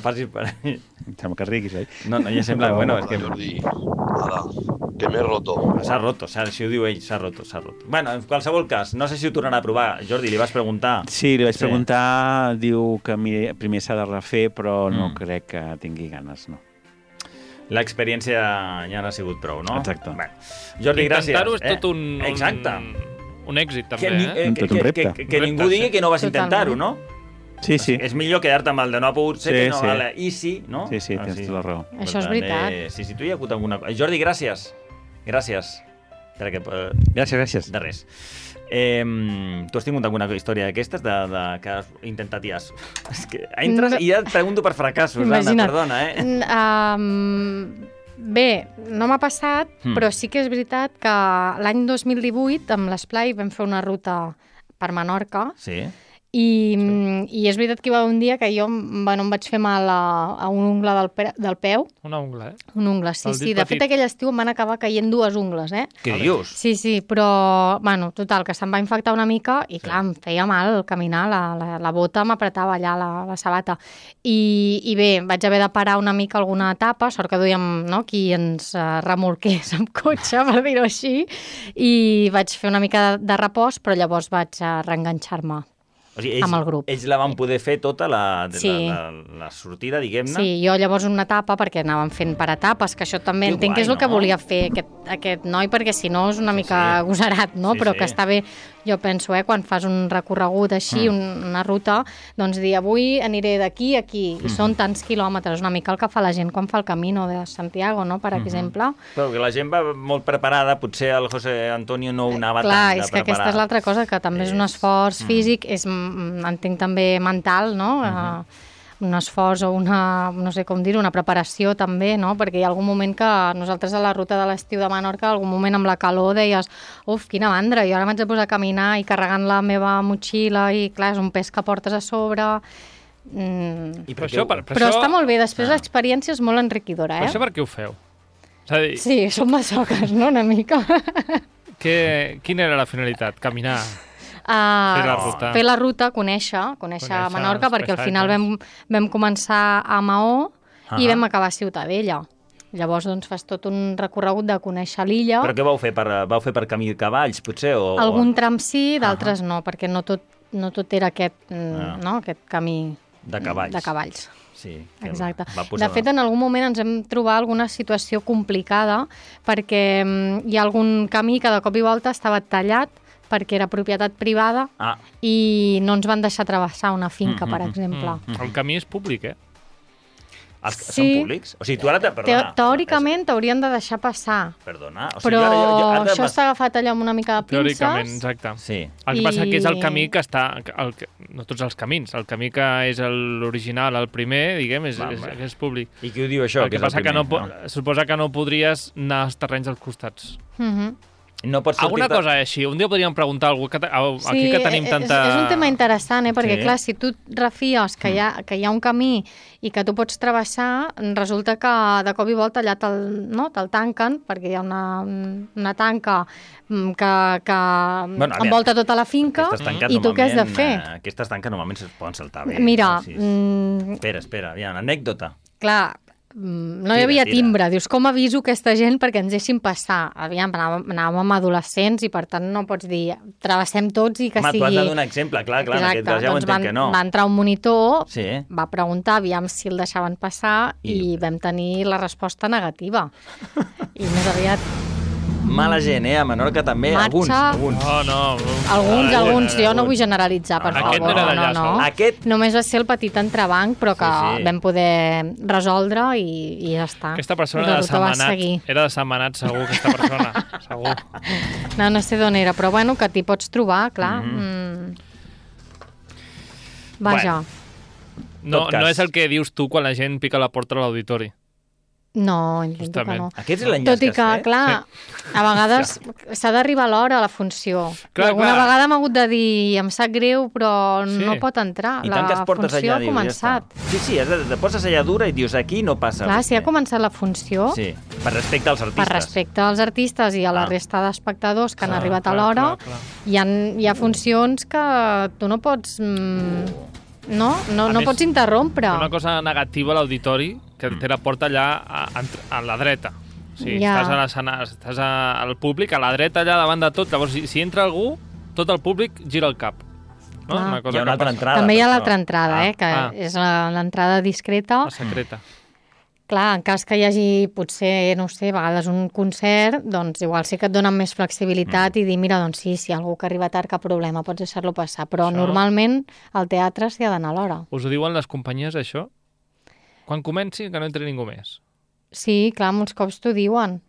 [SPEAKER 1] facis...
[SPEAKER 16] Sembla que riguis, oi?
[SPEAKER 1] No, ja sembla... Bueno, és que...
[SPEAKER 17] Jordi, nada, que me he roto.
[SPEAKER 1] S'ha roto, si ho diu ell, s'ha roto. Bueno, en qualsevol cas, no sé si ho tornarà a provar. Jordi, li vas preguntar.
[SPEAKER 16] Sí, li vaig preguntar, diu que primer s'ha de refer, però no crec que tingui ganes, no.
[SPEAKER 1] L'experiència ja n'ha sigut prou, no?
[SPEAKER 16] Exacte.
[SPEAKER 1] Bé. Jordi, gràcies.
[SPEAKER 2] Intentar-ho és tot un èxit, també.
[SPEAKER 16] Tot un repte.
[SPEAKER 1] Que ningú digui que no vas intentar-ho, no?
[SPEAKER 16] Sí.
[SPEAKER 1] És millor quedar-te amb el de no ha pogut ser que no vale. I sí, no?
[SPEAKER 16] Sí, tens tota la raó.
[SPEAKER 18] Això és veritat.
[SPEAKER 1] Sí, tu hi ha hagut alguna cosa. Jordi, gràcies. Gràcies.
[SPEAKER 16] Gràcies.
[SPEAKER 1] De res. Tu has tingut alguna història d'aquestes que has intentat i has... És que entres i ja et pregunto per fracassos, Anna, perdona,
[SPEAKER 18] Bé, no m'ha passat, però sí que és veritat que l'any 2018 amb l'Esplai vam fer una ruta per Menorca I és veritat que hi va haver un dia que jo em vaig fer mal a un ungle del peu.
[SPEAKER 2] Una ungla,
[SPEAKER 18] Un ungle, sí. De fet, aquell estiu em van acabar caient 2 ungles,
[SPEAKER 1] Què dius?
[SPEAKER 18] Sí, però, total, que se'm va infectar una mica i, clar, em feia mal caminar, la bota m'apretava allà, la sabata. I bé, vaig haver de parar una mica alguna etapa, sort que duíem qui ens remolqués amb cotxe, per dir-ho així, i vaig fer una mica de repòs, però llavors vaig reenganxar-me.
[SPEAKER 1] O sigui,
[SPEAKER 18] amb el grup.
[SPEAKER 1] Ells la van poder fer tota la sortida, diguem-ne?
[SPEAKER 18] Sí, jo llavors una etapa, perquè anàvem fent per etapes, que això també entenc que és el que volia fer aquest noi, perquè si no és una mica agosarat, no? Però que està bé, jo penso, quan fas un recorregut així, una ruta, doncs dir, avui aniré d'aquí a aquí, i són tants quilòmetres, una mica el que fa la gent quan fa el Camino de Santiago, no?, per exemple.
[SPEAKER 1] Però que la gent va molt preparada, potser el José Antonio no ho anava tan de
[SPEAKER 18] preparat. Clar, és que
[SPEAKER 1] preparar.
[SPEAKER 18] aquesta és l'altra cosa, que també és un esforç físic, entenc també mental, no?, un esforç o una, no sé com dir-ho, una preparació també, no? Perquè hi ha algun moment que nosaltres a la ruta de l'estiu de Menorca, algun moment amb la calor deies, quina mandra, jo ara m'haig de posar a caminar i carregant la meva motxilla i clar, és un pes que portes a sobre. Però està molt bé, després l'experiència és molt enriquidora,
[SPEAKER 2] Però això per què ho feu?
[SPEAKER 18] Sí, som masoques, no?, una mica.
[SPEAKER 2] Quina era la finalitat? Caminar? Fer
[SPEAKER 18] la ruta, conèixer Menorca, perquè al final vam començar a Maó i vam acabar a Ciutadella. Llavors doncs fas tot un recorregut de conèixer l'illa.
[SPEAKER 1] Però què vau fer? Vau fer per camí de cavalls, potser?
[SPEAKER 18] Algun tram sí, d'altres no, perquè no tot era aquest camí
[SPEAKER 1] de cavalls.
[SPEAKER 18] Sí, exacte. De fet, en algun moment ens hem trobat alguna situació complicada perquè hi ha algun camí que de cop i volta estava tallat perquè era propietat privada i no ens van deixar travessar una finca, per exemple.
[SPEAKER 2] El camí és públic,
[SPEAKER 1] Són públics? O sigui, tu ara...
[SPEAKER 18] Teòricament t'haurien de deixar passar.
[SPEAKER 1] Perdona?
[SPEAKER 18] Però això està agafat allò amb una mica de pinces.
[SPEAKER 2] Teòricament, exacte.
[SPEAKER 1] Sí.
[SPEAKER 2] El que passa que és el camí que està... No tots els camins. El camí que és l'original, el primer, diguem, és públic.
[SPEAKER 1] I qui ho diu això, que és el primer?
[SPEAKER 2] Suposa que no podries anar als terrenys als costats.
[SPEAKER 1] No pots
[SPEAKER 2] alguna cosa així. Un dia podríem preguntar a algú aquí que tenim tanta...
[SPEAKER 18] És un tema interessant, perquè clar, si tu refies que hi ha un camí i que tu pots travessar, resulta que de cop i volta allà te'l tanquen, perquè hi ha una tanca que envolta tota la finca i tu què has de fer?
[SPEAKER 1] Aquestes tanques normalment es poden saltar bé.
[SPEAKER 18] Mira...
[SPEAKER 1] Espera, hi ha una anècdota.
[SPEAKER 18] Clar, no hi havia timbre. Dius, com aviso aquesta gent perquè ens deixin passar? Aviam, anàvem amb adolescents i per tant no pots dir travessem tots i que sigui...
[SPEAKER 1] Tu has de donar exemple, clar, en aquest cas ja ho entenc que no.
[SPEAKER 18] Va entrar un monitor, va preguntar aviam si el deixaven passar i vam tenir la resposta negativa. I més aviat...
[SPEAKER 1] Mala gent, a Menorca també, alguns.
[SPEAKER 18] Alguns, jo no vull generalitzar, per favor. No. Només va ser el petit entrebanc, però que vam poder resoldre i ja està.
[SPEAKER 2] Aquesta persona era de Sentmenat, segur, aquesta persona, segur.
[SPEAKER 18] No sé d'on era, però bueno, que t'hi pots trobar, clar. Vaja.
[SPEAKER 2] No és el que dius tu quan la gent pica la porta a l'auditori.
[SPEAKER 18] No, intento que no.
[SPEAKER 1] Aquest és l'enllaç que has fet?
[SPEAKER 18] Tot i que, clar, a vegades s'ha d'arribar a l'hora a la funció. Alguna vegada m'ha hagut de dir, em sap greu, però no pot entrar. La funció ha començat.
[SPEAKER 1] Sí, te poses allà dura i dius, aquí no passa.
[SPEAKER 18] Clar, si ha començat la funció...
[SPEAKER 1] Sí, per respecte als artistes.
[SPEAKER 18] Per respecte als artistes i a la resta d'espectadors que han arribat a l'hora, hi ha funcions que tu no pots... No pots interrompre.
[SPEAKER 2] Una cosa negativa a l'auditori, que té la porta allà a la dreta. O sigui, estàs al públic, a la dreta, allà davant de tot. Llavors, si entra algú, tot el públic gira el cap. No?
[SPEAKER 1] Una cosa hi ha una altra entrada.
[SPEAKER 18] També hi ha l'altra entrada, que és l'entrada discreta.
[SPEAKER 2] La secreta.
[SPEAKER 18] Clar, en cas que hi hagi, potser, no sé, a vegades un concert, doncs igual sí que et donen més flexibilitat i dir, mira, doncs sí, si algú que arriba tard, cap problema, pots deixar-lo passar. Però normalment al teatre s'hi ha d'anar a l'hora.
[SPEAKER 2] Us ho diuen les companyies, això? Quan comenci, que no entri ningú més.
[SPEAKER 18] Sí, clar, molts cops t'ho diuen.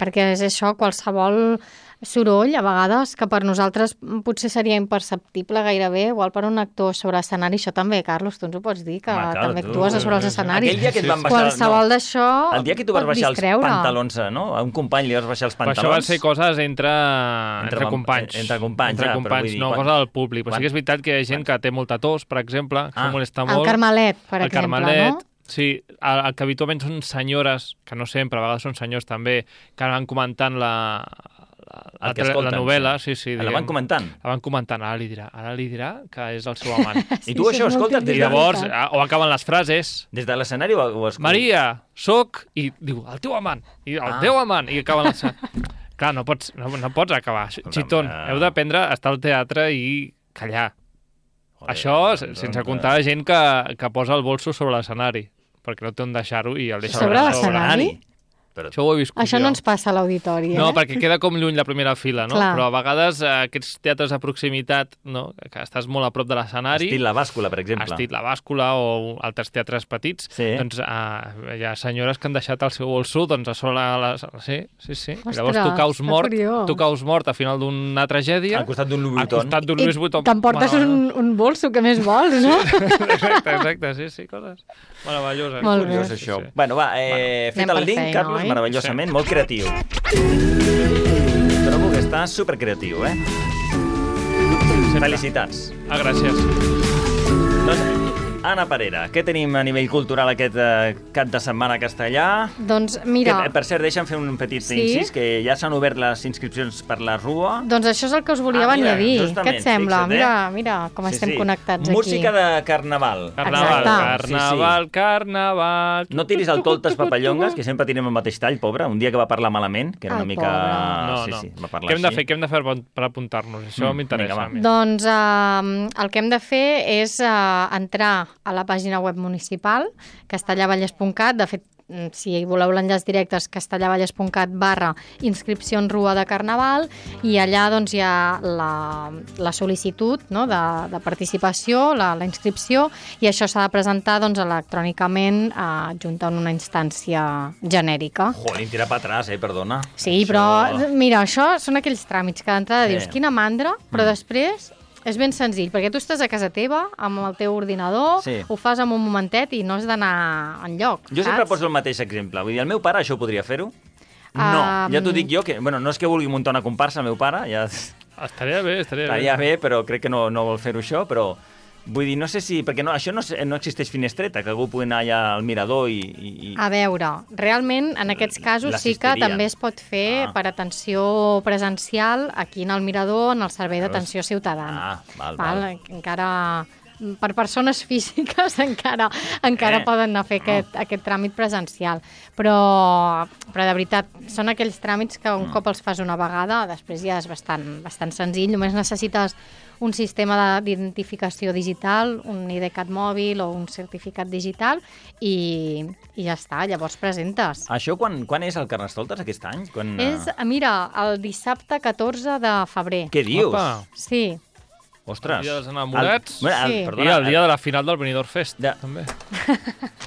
[SPEAKER 18] Perquè és això, qualsevol soroll, a vegades, que per nosaltres potser seria imperceptible gairebé, igual per un actor sobre l'escenari. Això també, Carlos, tu ens ho pots dir, que també actues sobre els escenaris.
[SPEAKER 1] Aquell dia que et van baixar...
[SPEAKER 18] Qualsevol d'això
[SPEAKER 1] el dia que tu vas baixar els pantalons, no? A un company li vas baixar els pantalons...
[SPEAKER 2] Però això van ser coses entre companys.
[SPEAKER 1] Entre companys,
[SPEAKER 2] no cosa del públic. Però sí que és veritat que hi ha gent que té molta tos, per exemple, que se'l molesta molt.
[SPEAKER 18] El Carmelet, per exemple, no?
[SPEAKER 2] Sí, el que habitualment són senyores, que no sempre, a vegades són senyors també, que van comentant la novel·la, sí.
[SPEAKER 1] La van comentant?
[SPEAKER 2] La van comentant, ara li dirà que és el seu amant.
[SPEAKER 1] I tu això, escolta...
[SPEAKER 2] I llavors, o acaben les frases...
[SPEAKER 1] Des de l'escenari ho escoltes?
[SPEAKER 2] Maria, soc... I diu, el teu amant. I el teu amant. I acaben les... Clar, no pots acabar. Xitón, heu d'aprendre a estar al teatre i callar. Això, sense comptar la gent que posa el bolso sobre l'escenari, perquè no té on deixar-ho i el deixa
[SPEAKER 18] sobre l'escenari?
[SPEAKER 2] Això ho he viscut
[SPEAKER 18] Això
[SPEAKER 2] jo.
[SPEAKER 18] no ens passa a l'auditori,
[SPEAKER 2] No, perquè queda com lluny la primera fila, no?
[SPEAKER 18] Clar.
[SPEAKER 2] Però a vegades aquests teatres de proximitat, no? Que estàs molt a prop de l'escenari...
[SPEAKER 1] Estil La Bàscula, per exemple.
[SPEAKER 2] Estil La Bàscula o altres teatres petits, doncs hi ha senyores que han deixat el seu bolso doncs, a sobre Sí.
[SPEAKER 18] Ostres,
[SPEAKER 2] llavors tu caus mort a final d'una tragèdia...
[SPEAKER 1] Al costat d'un Louis Vuitton.
[SPEAKER 18] I t'emportes un bolso, que més vols, no?
[SPEAKER 2] Exacte, sí, coses meravelloses.
[SPEAKER 18] Molt bé.
[SPEAKER 1] Això. Bueno, va, fet el link, Carlos, meravellosament, molt creatiu. Trobo que està supercreatiu, Felicitats.
[SPEAKER 2] Gràcies.
[SPEAKER 1] Anna Parera, què tenim a nivell cultural aquest cap de setmana a Castellà?
[SPEAKER 18] Doncs mira...
[SPEAKER 1] Que, per cert, deixa'm fer un petit incís, que ja s'han obert les inscripcions per la Rua.
[SPEAKER 18] Doncs això és el que us volia venir a dir. Què et sembla? Mira com estem connectats aquí.
[SPEAKER 1] Música de carnaval.
[SPEAKER 2] Carnaval.
[SPEAKER 1] No tiris el toltes papallongues, que sempre tirem el mateix tall, pobre. Un dia que va parlar malament, que era una mica...
[SPEAKER 2] No. Què hem de fer per apuntar-nos? Això m'interessa.
[SPEAKER 18] Doncs el que hem de fer és entrar a la pàgina web municipal, castellavallès.cat. De fet, si voleu l'enllaç directe és castellavallès.cat/inscripcions Rua de Carnaval, i allà doncs, hi ha la sol·licitud, no? de participació, la inscripció, i això s'ha de presentar doncs, electrònicament adjuntant una instància genèrica.
[SPEAKER 1] Jolín, tira per atràs, perdona.
[SPEAKER 18] Sí, però mira, això són aquells tràmits que d'entrada dius, quina mandra, però després... És ben senzill, perquè tu estàs a casa teva, amb el teu ordinador, ho fas en un momentet i no has d'anar enlloc.
[SPEAKER 1] Jo sempre poso el mateix exemple. Vull dir, el meu pare això ho podria fer-ho? No, ja t'ho dic jo, que no és que vulgui muntar una comparsa, el meu pare, ja...
[SPEAKER 2] Estaria bé.
[SPEAKER 1] Estaria bé, però crec que no vol fer-ho això, però... Vull dir, no sé si... Perquè això no existeix finestreta, que algú pugui anar allà al mirador i...
[SPEAKER 18] A veure, realment, en aquests casos sí que també es pot fer per atenció presencial aquí en el mirador, en el servei d'atenció ciutadana. Val. Encara... Per persones físiques encara poden anar a fer aquest tràmit presencial. Però de veritat, són aquells tràmits que un cop els fas una vegada, després ja és bastant senzill. Només necessites un sistema d'identificació digital, un IDCAT mòbil o un certificat digital i ja està, llavors presentes.
[SPEAKER 1] Això quan és el Carnestoltes aquest any?
[SPEAKER 18] És, mira, el dissabte 14 de febrer.
[SPEAKER 1] Què dius?
[SPEAKER 18] Sí.
[SPEAKER 1] Ostres.
[SPEAKER 2] El dia dels enamorats
[SPEAKER 18] i
[SPEAKER 2] el dia de la final del Benidorm Fest, també.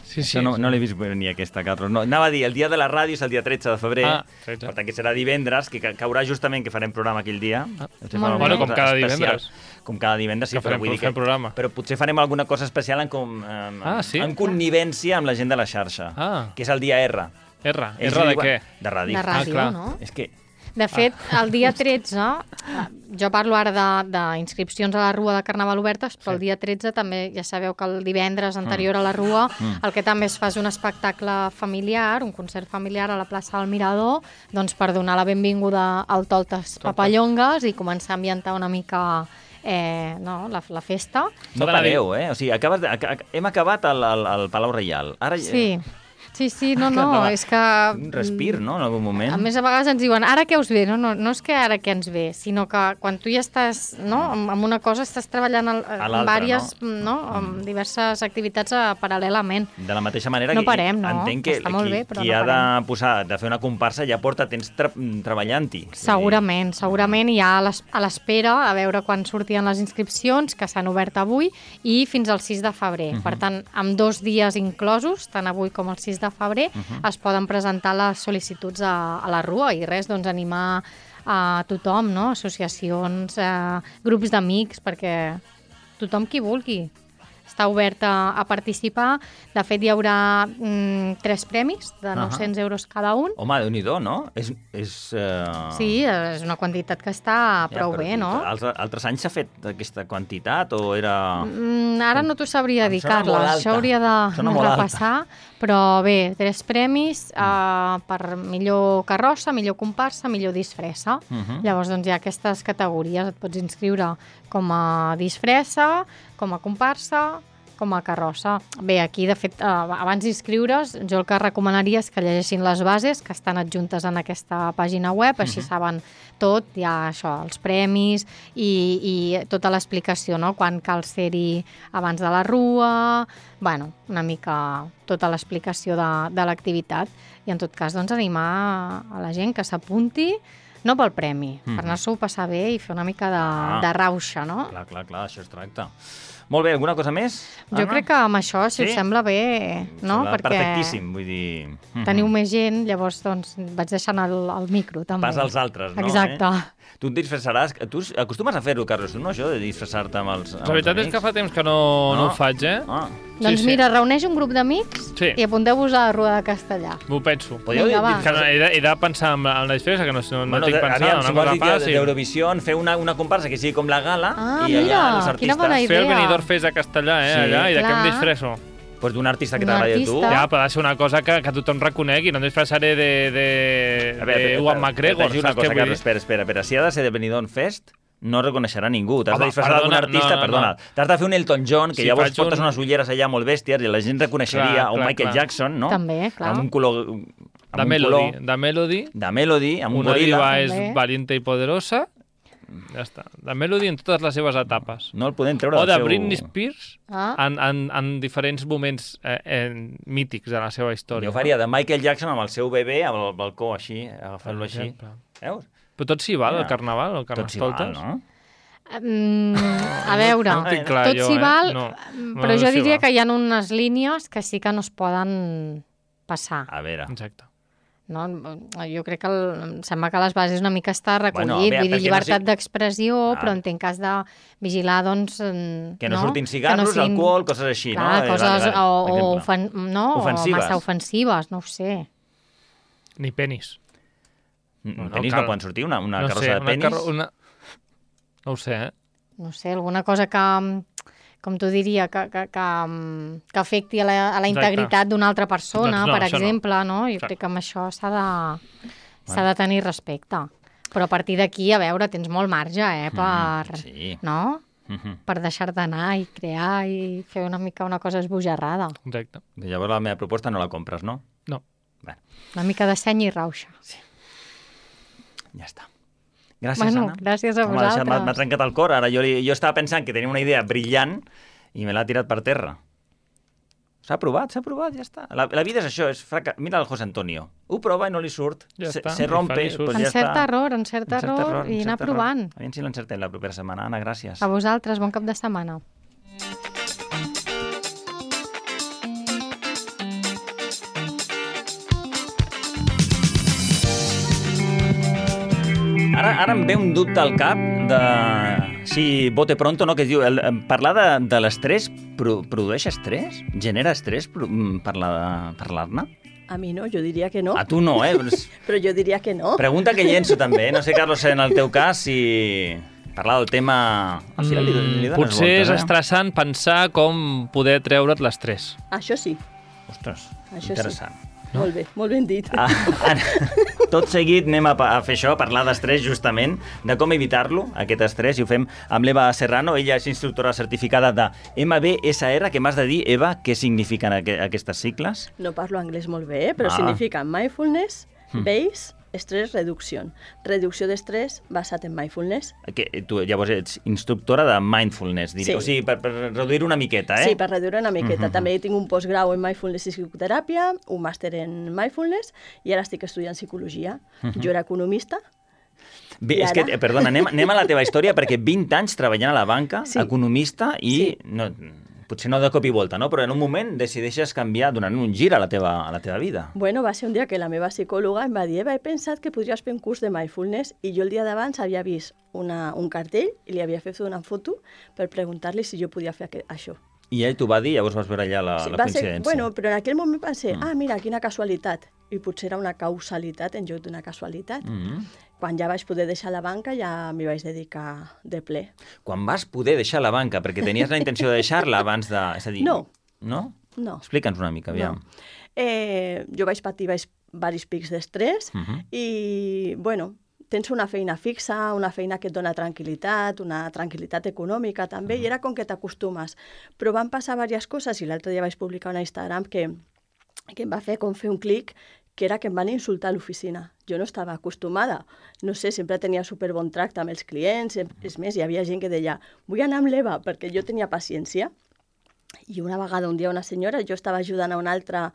[SPEAKER 1] Sí. No l'he vist venir aquesta, Carlos. No, anava a dir, el dia de la ràdio és el dia 13 de febrer, per tant que serà divendres, que caurà justament que farem programa aquell dia.
[SPEAKER 2] Bueno, com cada divendres.
[SPEAKER 1] Com cada divendres, sí, però vull dir que... Però potser farem alguna cosa especial en connivència amb la gent de la xarxa, que és el dia R.
[SPEAKER 2] R de què?
[SPEAKER 1] De ràdio.
[SPEAKER 18] De ràdio, no?
[SPEAKER 1] És que...
[SPEAKER 18] De fet, el dia 13, jo parlo ara d'inscripcions a la Rua de Carnaval obertes, però el dia 13 també, ja sabeu que el divendres anterior a la Rua, el que també es fa és un espectacle familiar, un concert familiar a la plaça del Mirador, doncs per donar la benvinguda al Toltes Papallongues i començar a ambientar una mica la festa.
[SPEAKER 1] No pareu, O sigui, hem acabat al Palau Reial. Ara...
[SPEAKER 18] Sí, no, és que...
[SPEAKER 1] Un respir, no?, en algun moment.
[SPEAKER 18] A més, a vegades ens diuen, ara què us ve? No és que ara què ens ve, sinó que quan tu ja estàs, amb una cosa, estàs treballant en diverses activitats paral·lelament.
[SPEAKER 1] De la mateixa manera
[SPEAKER 18] no parem,
[SPEAKER 1] entenc que qui ha de fer una comparsa ja porta temps treballant-hi.
[SPEAKER 18] Segurament, i ja a l'espera a veure quan sortien les inscripcions, que s'han obert avui, i fins al 6 de febrer. Per tant, amb 2 dies inclosos, tant avui com el 6 de febrer, es poden presentar les sol·licituds a la Rua i res, doncs animar a tothom, no? Associacions, grups d'amics, perquè tothom qui vulgui està obert a participar. De fet, hi haurà 3 premis de 900 euros cada un.
[SPEAKER 1] Home, Déu-n'hi-do, no?
[SPEAKER 18] Sí, és una quantitat que està prou bé, no?
[SPEAKER 1] Altres anys s'ha fet aquesta quantitat o era...
[SPEAKER 18] Ara no t'ho sabria dir, Carles. Això hauria de repassar. Però bé, 3 premis per millor carrossa, millor comparsa, millor disfressa. Llavors, doncs, hi ha aquestes categories. Et pots inscriure com a disfressa, com a comparsa, com a carrossa. Bé, aquí, de fet, abans d'inscriure's, jo el que recomanaria és que llegeixin les bases que estan adjuntes en aquesta pàgina web, així saben tot, hi ha això, els premis i tota l'explicació, no? Quan cal ser-hi abans de la rua, bueno, una mica tota l'explicació de l'activitat. I en tot cas, doncs, animar a la gent que s'apunti, no pel premi, per anar-s'ho a passar bé i fer una mica de rauxa, no?
[SPEAKER 1] Clar, això es tracta. Molt bé, alguna cosa més?
[SPEAKER 18] Jo crec que amb això, si us sembla bé, no?
[SPEAKER 1] Perquè perfectíssim, vull dir...
[SPEAKER 18] Teniu més gent, llavors doncs, vaig deixant el micro, també.
[SPEAKER 1] Pas als altres, no?
[SPEAKER 18] Exacte.
[SPEAKER 1] Tu et disfressaràs... Tu acostumes a fer-ho, Carlos, no, això, de disfressar-te amb els amics?
[SPEAKER 2] La veritat és que fa temps que no ho faig,
[SPEAKER 18] Doncs mira, reuneix un grup d'amics i apunteu-vos a la Rua de Castellà.
[SPEAKER 2] M'ho penso.
[SPEAKER 18] Vinga, va.
[SPEAKER 2] He de pensar en la disfressa, que no estic pensant.
[SPEAKER 1] Si vols dir d'Eurovisió, fer una comparsa que sigui com la gala i allà els artistes...
[SPEAKER 18] Quina bona idea.
[SPEAKER 2] Fer el Benidorm Fest a Castellà, allà, i de què em disfresso?
[SPEAKER 1] Pues d'un artista que t'agrada a tu.
[SPEAKER 2] Ja, però ha de ser una cosa que tothom reconegui, no em disfressaré de Ewan McGregor.
[SPEAKER 1] Una cosa, Carles, espera. Si ha de ser de Benidorm Fest, no reconeixerà ningú. T'has de disfressar d'algun artista, perdona. T'has de fer un Elton John, que llavors portes unes ulleres allà molt bèsties i la gent reconeixeria, o Michael Jackson, no?
[SPEAKER 18] També, clar.
[SPEAKER 1] Amb un color...
[SPEAKER 2] De Melody.
[SPEAKER 1] De Melody, amb un goril·la.
[SPEAKER 2] Una diva és valiente i poderosa. Ja està. De Melody en totes les seves etapes.
[SPEAKER 1] No el podem treure
[SPEAKER 2] del seu... O de Britney Spears en diferents moments mítics de la seva història.
[SPEAKER 1] Jo faria de Michael Jackson amb el seu bebè al balcó, així, agafant-lo així. Veus?
[SPEAKER 2] Però tot s'hi val, el carnaval, Carnestoltes?
[SPEAKER 1] No?
[SPEAKER 18] A veure, tot s'hi val, però jo diria que hi ha unes línies que sí que no es poden passar.
[SPEAKER 1] A veure.
[SPEAKER 2] Exacte.
[SPEAKER 18] No? Jo crec que em sembla que a les bases una mica està recollit, vull dir, llibertat d'expressió, però entenc que has de vigilar, doncs...
[SPEAKER 1] Que no surtin cigarros, alcohol, coses així, no?
[SPEAKER 18] Coses massa ofensives, no ho sé.
[SPEAKER 2] Ni penis.
[SPEAKER 1] Penis no poden sortir? Una carrossa de penis?
[SPEAKER 2] No ho sé,
[SPEAKER 18] No sé, alguna cosa que... com t'ho diria, que afecti a la integritat d'una altra persona, per exemple, no? Jo crec que amb això s'ha de tenir respecte. Però a partir d'aquí, a veure, tens molt marge, no? Per deixar-te anar i crear i fer una mica una cosa esbojarrada.
[SPEAKER 2] Exacte.
[SPEAKER 1] Llavors la meva proposta no la compres, no?
[SPEAKER 2] No.
[SPEAKER 18] Una mica de seny i rauxa.
[SPEAKER 1] Sí. Ja està. Gràcies, Anna.
[SPEAKER 18] Gràcies a vosaltres.
[SPEAKER 1] M'ha trencat el cor. Ara jo estava pensant que tenia una idea brillant i me l'ha tirat per terra. S'ha provat, ja està. La vida és això, mira el José Antonio. Ho prova i no li surt. Se rompe.
[SPEAKER 18] Encert error i anar provant.
[SPEAKER 1] A veure si l'encertem la propera setmana. Anna, gràcies.
[SPEAKER 18] A vosaltres, bon cap de setmana.
[SPEAKER 1] Ara em ve un dubte al cap de si bote pronto, no? Que diu, parlar de l'estrès produeix estrès? Genera estrès parlar-ne?
[SPEAKER 19] A mi no, jo diria que no.
[SPEAKER 1] A tu no,
[SPEAKER 19] Però jo diria que no.
[SPEAKER 1] Pregunta que llenço també, no sé, Carlos, en el teu cas, si parlar del tema... Al final li dones
[SPEAKER 2] potser és estressant pensar com poder treure't l'estrès.
[SPEAKER 19] Això sí.
[SPEAKER 1] Ostres,
[SPEAKER 19] això
[SPEAKER 1] interessant.
[SPEAKER 19] Sí. No? Molt ben dit.
[SPEAKER 1] Tot seguit anem a fer això, a parlar d'estrès justament, de com evitar-lo, aquest estrès, i ho fem amb l'Eva Serrano. Ella és instructora certificada de MBSR, que m'has de dir, Eva, què signifiquen aquestes sigles?
[SPEAKER 19] No parlo anglès molt bé, però significa Mindfulness Based Stress Reduction. Reducció d'estrès basat en mindfulness.
[SPEAKER 1] Tu llavors ets instructora de mindfulness, diria. Sí. O sigui, per reduir una miqueta,
[SPEAKER 19] Sí, per reduir una miqueta. També tinc un postgrau en mindfulness i psicoteràpia, un màster en mindfulness, i ara estic estudiant psicologia. Jo era economista.
[SPEAKER 1] Bé, és que, perdona, anem a la teva història, perquè 20 anys treballant a la banca, economista, i... potser no de cop i volta, no? Però en un moment decideixes canviar, donant un gir a la teva vida.
[SPEAKER 19] Bueno, va ser un dia que la meva psicòloga em va dir he pensat que podries fer un curs de mindfulness i jo el dia d'abans havia vist un cartell i li havia fet una foto per preguntar-li si jo podia fer això.
[SPEAKER 1] I ell t'ho va dir, llavors vas veure allà la coincidència.
[SPEAKER 19] Bueno, però en aquell moment pensé, mira, quina casualitat. I potser era una causalitat en lloc d'una casualitat. Quan ja vaig poder deixar la banca ja m'hi vaig dedicar de ple.
[SPEAKER 1] Quan vas poder deixar la banca, perquè tenies la intenció de deixar-la abans de... És a dir,
[SPEAKER 19] no.
[SPEAKER 1] No?
[SPEAKER 19] No.
[SPEAKER 1] Explica'ns una mica, aviam.
[SPEAKER 19] No. Jo vaig patir diversos pics d'estrès i, bueno, tens una feina fixa, una feina que et dona tranquil·litat, una tranquil·litat econòmica també, i era com que t'acostumes. Però van passar diverses coses i l'altre dia vaig publicar una Instagram que em va fer com fer un clic, que era que em van insultar a l'oficina. Jo no estava acostumada. No sé, sempre tenia superbon tracte amb els clients. És més, hi havia gent que deia vull anar amb l'Eva, perquè jo tenia paciència. I una vegada, un dia, una senyora, jo estava ajudant a una altra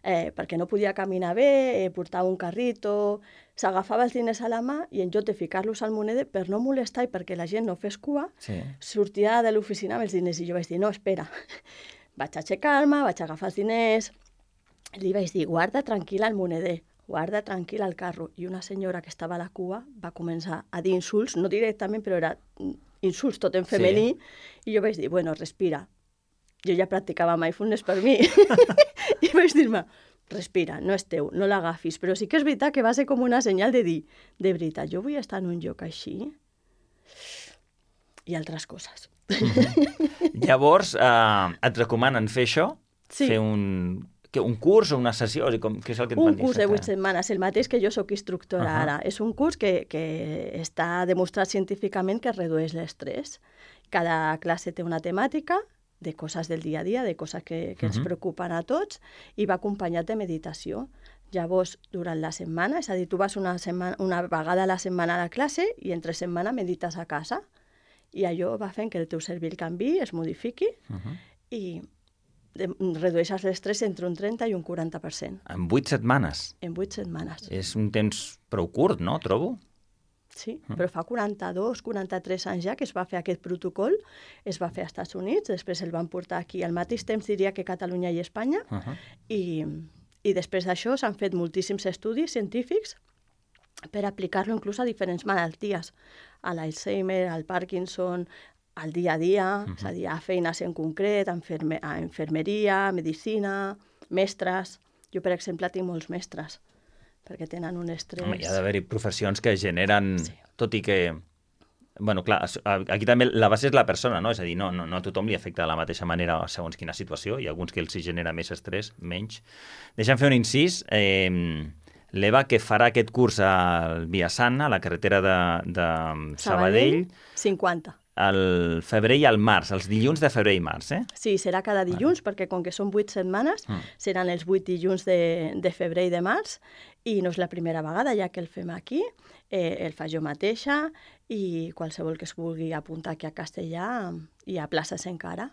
[SPEAKER 19] perquè no podia caminar bé, portava un carrito, s'agafava els diners a la mà i en lloc de ficar-los al moneder, per no molestar i perquè la gent no fes cua, sortia de l'oficina amb els diners. I jo vaig dir, no, espera. Vaig aixecar-me, vaig agafar els diners, li vaig dir, guarda tranquil·la el moneder, guarda tranquil el carro. I una senyora que estava a la cua va començar a dir insults, no directament, però era insults tot en femení, i jo vaig dir, bueno, respira. Jo ja practicava mindfulness per mi. I vaig dir-me, respira, no és teu, no l'agafis. Però sí que és veritat que va ser com una senyal de dir, de veritat, jo vull estar en un lloc així? I altres coses.
[SPEAKER 1] Llavors, et recomanen fer això?
[SPEAKER 19] Sí.
[SPEAKER 1] Fer un curs o una sessió? Què és el que et van dir?
[SPEAKER 19] Un curs de 8 setmanes, el mateix que jo soc instructora ara. És un curs que està demostrat científicament que redueix l'estrès. Cada classe té una temàtica de coses del dia a dia, de coses que ens preocupen a tots, i va acompanyat de meditació. Llavors, durant la setmana, és a dir, tu vas una vegada a la setmana a la classe i entre setmana medites a casa. I allò va fent que el teu cervell canviï, es modifiqui i redueixes l'estrès entre un 30 i un 40%.
[SPEAKER 1] En 8 setmanes?
[SPEAKER 19] En 8 setmanes.
[SPEAKER 1] És un temps prou curt, no? Trobo.
[SPEAKER 19] Sí, però fa 42, 43 anys ja que es va fer aquest protocol, es va fer als Estats Units, després el van portar aquí al mateix temps, diria que Catalunya i Espanya, i després d'això s'han fet moltíssims estudis científics per aplicar-lo inclús a diferents malalties, a l'Alzheimer, al Parkinson, al dia a dia, és a dir, a feines en concret, a infermeria, medicina, mestres. Jo, per exemple, tinc molts mestres, perquè tenen un estrès...
[SPEAKER 1] Home, hi ha d'haver-hi professions que generen... Sí. Tot i que... Bueno, clar, aquí també la base és la persona, no? És a dir, no a tothom li afecta de la mateixa manera segons quina situació. Hi ha alguns que els genera més estrès, menys. Deixa'm fer un incís. L'Eva, que farà aquest curs al Viasant, a la carretera de Sabadell...
[SPEAKER 19] 50.
[SPEAKER 1] Al febrer i al març, els dilluns de febrer i març, eh?
[SPEAKER 19] Sí, serà cada dilluns, perquè com que són 8 setmanes, seran els 8 dilluns de febrer i de març, i no és la primera vegada ja que el fem aquí, el fa jo mateixa, i qualsevol que es vulgui apuntar aquí a Castellà, hi ha places encara.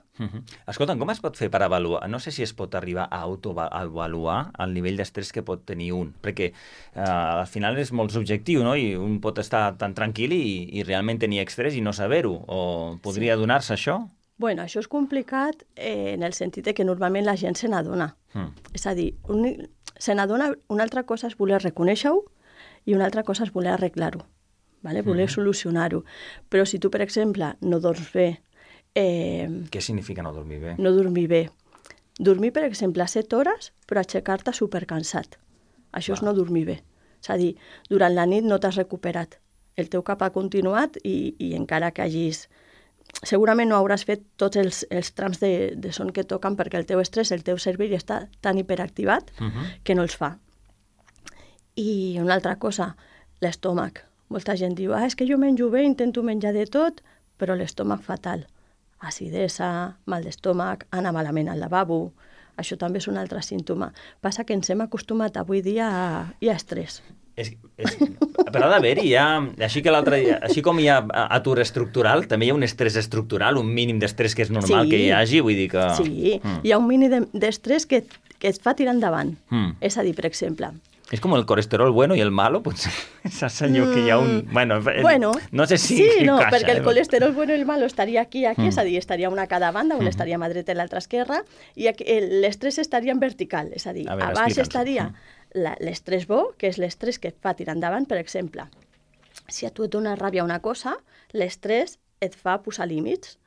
[SPEAKER 1] Escolta'm, com es pot fer per avaluar? No sé si es pot arribar a autoavaluar el nivell d'estrès que pot tenir un, perquè al final és molt subjectiu, no? I un pot estar tan tranquil i realment tenir estrès i no saber-ho, o podria donar-se això?
[SPEAKER 19] Bueno, això és complicat en el sentit que normalment la gent se n'adona. És a dir, se n'adona, una altra cosa és voler reconèixer-ho i una altra cosa és voler arreglar-ho, voler solucionar-ho. Però si tu, per exemple, no dorms bé...
[SPEAKER 1] Què significa no dormir bé?
[SPEAKER 19] No dormir bé. Dormir, per exemple, 7 hores, però aixecar-te supercansat. Això és no dormir bé. És a dir, durant la nit no t'has recuperat. El teu cap ha continuat i encara que hagis... Segurament no hauràs fet tots els trams de son que toquen perquè el teu estrès, el teu cervell està tan hiperactivat que no els fa. I una altra cosa, l'estómac. Molta gent diu, és que jo menjo bé, intento menjar de tot, però l'estómac fatal. Acidesa, mal d'estómac, anar malament al lavabo, això també és un altre símptoma. Passa que ens hem acostumat avui dia a estrès.
[SPEAKER 1] Però ha d'haver-hi, així com hi ha atur estructural, també hi ha un estrès estructural, un mínim d'estrès que és normal que hi hagi, vull dir que...
[SPEAKER 19] Sí, hi ha un mínim d'estrès que et fa tirar endavant. És a dir, per exemple,
[SPEAKER 1] És com el colesterol bueno i el malo, potser. Saps allò que hi ha un... Bueno, no sé si
[SPEAKER 19] sí, no,
[SPEAKER 1] caixa.
[SPEAKER 19] perquè el colesterol bueno i el malo estaria aquí, és a dir, estaria una a cada banda, una estaria a mà dreta i l'altra esquerra, i l'estrès estaria en vertical, és a dir, a baix estaria l'estrès bo, que és l'estrès que et fa tirar endavant, per exemple. Si a tu et dona ràbia una cosa, l'estrès et fa posar límits.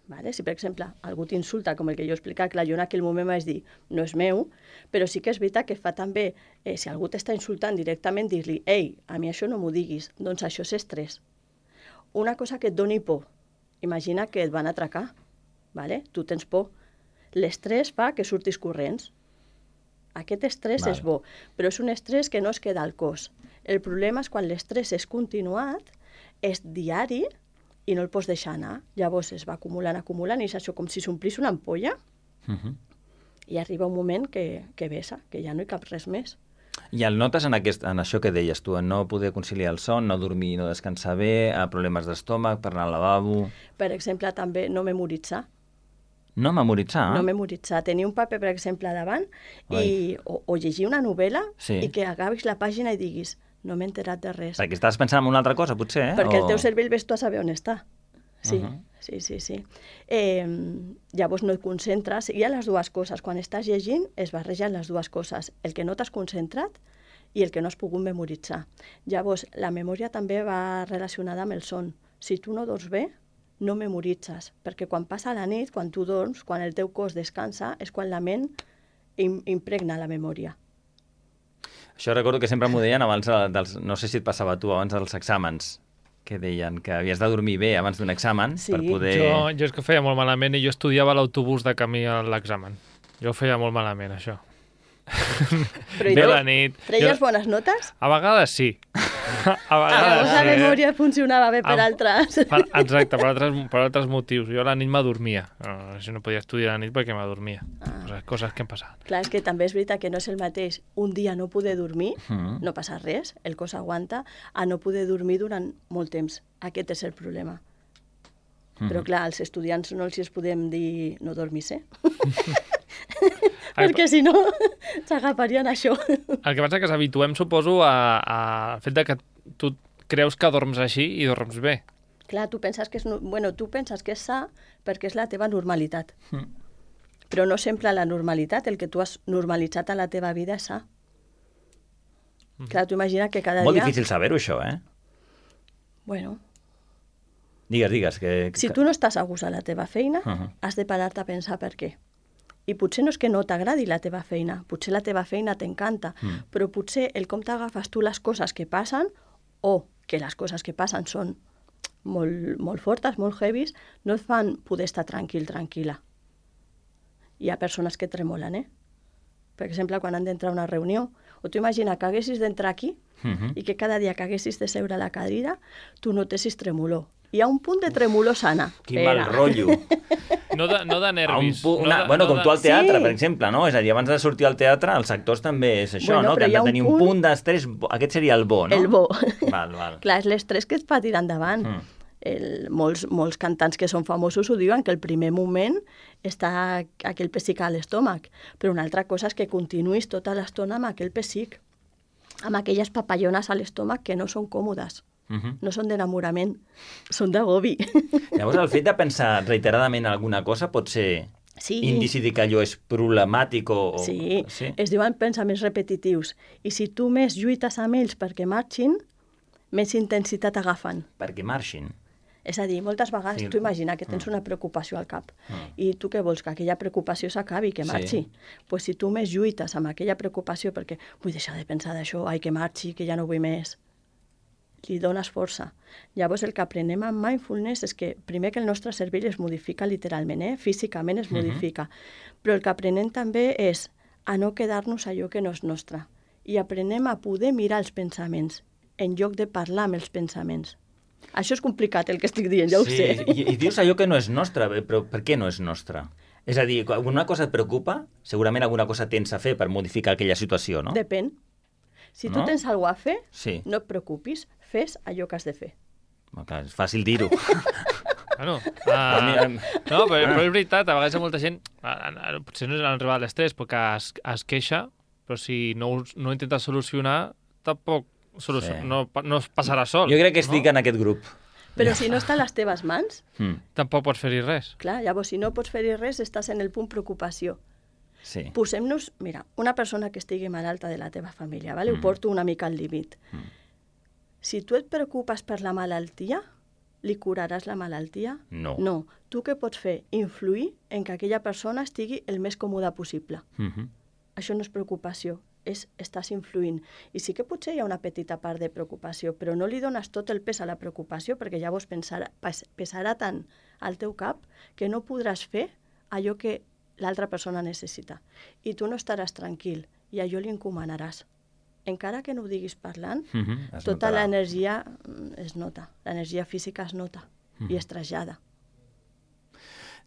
[SPEAKER 19] Vale? Si, per exemple, algú t'insulta, com el que jo he explicat, clar, jo en aquell moment vaig dir, no és meu, però sí que és veritat que fa també, si algú t'està insultant directament, dir-li, ei, a mi això no m'ho diguis, doncs això és estrès. Una cosa que et doni por, imagina que et van atracar, vale? Tu tens por. L'estrès fa que surtis corrents. Aquest estrès és bo, però és un estrès que no es queda al cos. El problema és quan l'estrès és continuat, és diari, i no el pots deixar anar. Llavors es va acumulant, i és això com si s'omplís una ampolla, i arriba un moment que vessa, que ja no hi cap res més.
[SPEAKER 1] I el notes en això que deies tu, en no poder conciliar el son, no dormir, no descansar bé, problemes d'estómac, per anar al lavabo...
[SPEAKER 19] Per exemple, també no memoritzar.
[SPEAKER 1] No memoritzar?
[SPEAKER 19] No memoritzar. Tenir un paper, per exemple, davant o llegir una novel·la i que acabis la pàgina i diguis no m'he enterat de res.
[SPEAKER 1] Perquè estàs pensant en una altra cosa, potser,
[SPEAKER 19] Perquè el teu cervell ves tu a saber on està. Sí, sí. Llavors no et concentres. Hi ha les dues coses. Quan estàs llegint es barregen les dues coses. El que no t'has concentrat i el que no has pogut memoritzar. Llavors, la memòria també va relacionada amb el son. Si tu no dors bé, no memoritzes. Perquè quan passa la nit, quan tu dorms, quan el teu cos descansa, és quan la ment impregna la memòria.
[SPEAKER 1] Això recordo que sempre m'ho deien abans no sé si et passava a tu, abans dels exàmens, que deien que havies de dormir bé abans d'un examen per poder...
[SPEAKER 2] Jo és que feia molt malament i jo estudiava a l'autobús de camí a l'examen. Jo feia molt malament, això.
[SPEAKER 19] Però treies bones notes?
[SPEAKER 2] A vegades sí. A vegades
[SPEAKER 19] la memòria funcionava bé per altres.
[SPEAKER 2] Exacte, per altres motius. Jo a la nit m'adormia. Si no podia estudiar a la nit perquè m'adormia. Coses que em passaven.
[SPEAKER 19] Clar, és que també és veritat que no és el mateix un dia no poder dormir, no passa res, el cos aguanta, a no poder dormir durant molt temps. Aquest és el problema. Però clar, als estudiants no els podem dir no dormis, perquè si no s'agafarien això.
[SPEAKER 2] El que passa és que s'habituem, suposo, al fet que tu creus que dorms així i dorms bé.
[SPEAKER 19] Clar, tu penses que és sa perquè és la teva normalitat. Però no sempre la normalitat, el que tu has normalitzat a la teva vida és sa. Clar, tu imagina que cada dia...
[SPEAKER 1] Molt difícil saber-ho, això,
[SPEAKER 19] Bueno...
[SPEAKER 1] Digues.
[SPEAKER 19] Si tu no estàs a gust a la teva feina, has de parar-te a pensar per què. I potser no és que no t'agradi la teva feina, potser la teva feina t'encanta, però potser el com t'agafes tu les coses que passen, o que les coses que passen són molt fortes, molt heavies, no et fan poder estar tranquil·la. Hi ha persones que tremolen, Per exemple, quan han d'entrar a una reunió, o tu imagina que haguessis d'entrar aquí i que cada dia que haguessis de seure a la cadira, tu notessis tremolor. Hi ha un punt de tremolor sana.
[SPEAKER 1] Quin mal rotllo.
[SPEAKER 2] No de nervis.
[SPEAKER 1] Com tu al teatre, per exemple, no? És a dir, abans de sortir al teatre, els actors també és això, no? Que han de tenir un punt d'estrès... Aquest seria el bo, no?
[SPEAKER 19] El bo.
[SPEAKER 1] Val.
[SPEAKER 19] Clar, és l'estrès que et fa tirar endavant. Molts cantants que són famosos ho diuen, que el primer moment està aquell pessic a l'estómac, però una altra cosa és que continuïs tota l'estona amb aquell pessic, amb aquelles papallones a l'estómac que no són còmodes. No són d'enamorament, són d'agobi.
[SPEAKER 1] Llavors, el fet de pensar reiteradament en alguna cosa pot ser indici de que allò és problemàtic o...
[SPEAKER 19] Sí, es diuen pensaments repetitius. I si tu més lluites amb ells perquè marxin, més intensitat agafen.
[SPEAKER 1] Perquè marxin?
[SPEAKER 19] És a dir, moltes vegades tu imagina que tens una preocupació al cap i tu què vols? Que aquella preocupació s'acabi, que marxi. Pues si tu més lluites amb aquella preocupació perquè vull deixar de pensar d'això, que marxi, que ja no vull més, li dones força. Llavors el que aprenem amb mindfulness és que primer que el nostre cervell es modifica literalment, físicament es modifica, però el que aprenem també és a no quedar-nos allò que no és nostre i aprenem a poder mirar els pensaments en lloc de parlar amb els pensaments. Això és complicat el que estic dient, ja ho sé.
[SPEAKER 1] I dius allò que no és nostre, però per què no és nostre? És a dir, quan una cosa et preocupa, segurament alguna cosa tens a fer per modificar aquella situació, no?
[SPEAKER 19] Depèn. Si tu tens alguna cosa a fer, no et preocupis, fes allò que has de fer.
[SPEAKER 1] És fàcil dir-ho.
[SPEAKER 2] No, però és veritat, a vegades molta gent, potser no és arribar a l'estrès, perquè es queixa però si no ho intentes solucionar, tampoc no es passarà sol.
[SPEAKER 1] Jo crec que estic en aquest grup.
[SPEAKER 19] Però si no està a les teves mans...
[SPEAKER 2] Tampoc pots fer-hi res.
[SPEAKER 19] Clar, llavors, si no pots fer-hi res, estàs en el punt preocupació.
[SPEAKER 1] Sí.
[SPEAKER 19] Posem-nos... Mira, una persona que estigui malalta de la teva família, ¿vale? Ho porto una mica al límit. Si tu et preocupes per la malaltia, li curaràs la malaltia?
[SPEAKER 1] No.
[SPEAKER 19] No. Tu què pots fer? Influir en que aquella persona estigui el més còmoda possible. Això no és preocupació, estàs influint. I sí que potser hi ha una petita part de preocupació, però no li dones tot el pes a la preocupació perquè llavors pesarà tant al teu cap que no podràs fer allò que l'altra persona necessita. I tu no estaràs tranquil i allò li encomanaràs. Encara que no ho diguis parlant, tota l'energia es nota, l'energia física es nota i es trasllada.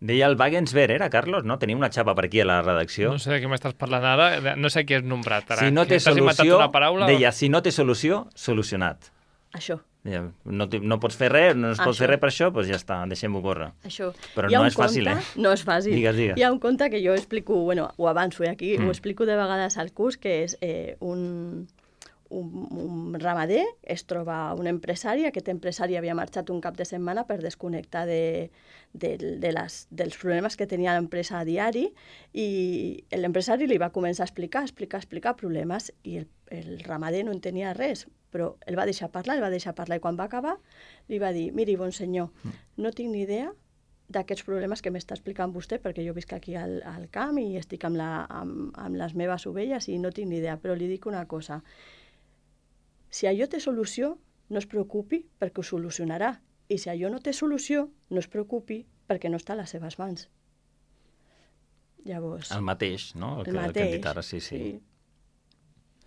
[SPEAKER 1] Deia el Wagensberg, era, Carlos? No? Tenia una xapa per aquí a la redacció.
[SPEAKER 2] No sé de què m'estàs parlant ara, no sé què has nombrat ara.
[SPEAKER 1] Si no té solució, deia, si no té solució, solucionat.
[SPEAKER 19] Això.
[SPEAKER 1] No pots fer res, no es pot fer res per això, doncs ja està, deixem-ho córrer.
[SPEAKER 19] Això.
[SPEAKER 1] Però no és fàcil,
[SPEAKER 19] No és fàcil.
[SPEAKER 1] Digues.
[SPEAKER 19] Hi ha un conte que jo explico, bueno, ho avanço aquí, ho explico de vegades al curs, que és un ramader, es troba un empresari, aquest empresari havia marxat un cap de setmana per desconnectar dels problemes que tenia l'empresa a diari i l'empresari li va començar a explicar problemes i el ramader no entenia res, però el va deixar parlar i quan va acabar li va dir, miri, bon senyor, no tinc ni idea d'aquests problemes que m'està explicant vostè, perquè jo visc aquí al camp i estic amb les meves ovelles i no tinc ni idea, però li dic una cosa. Si allò té solució, no es preocupi perquè ho solucionarà. I si allò no té solució, no es preocupi perquè no està a les seves mans. Llavors...
[SPEAKER 1] El mateix, no? El que hem dit ara, sí.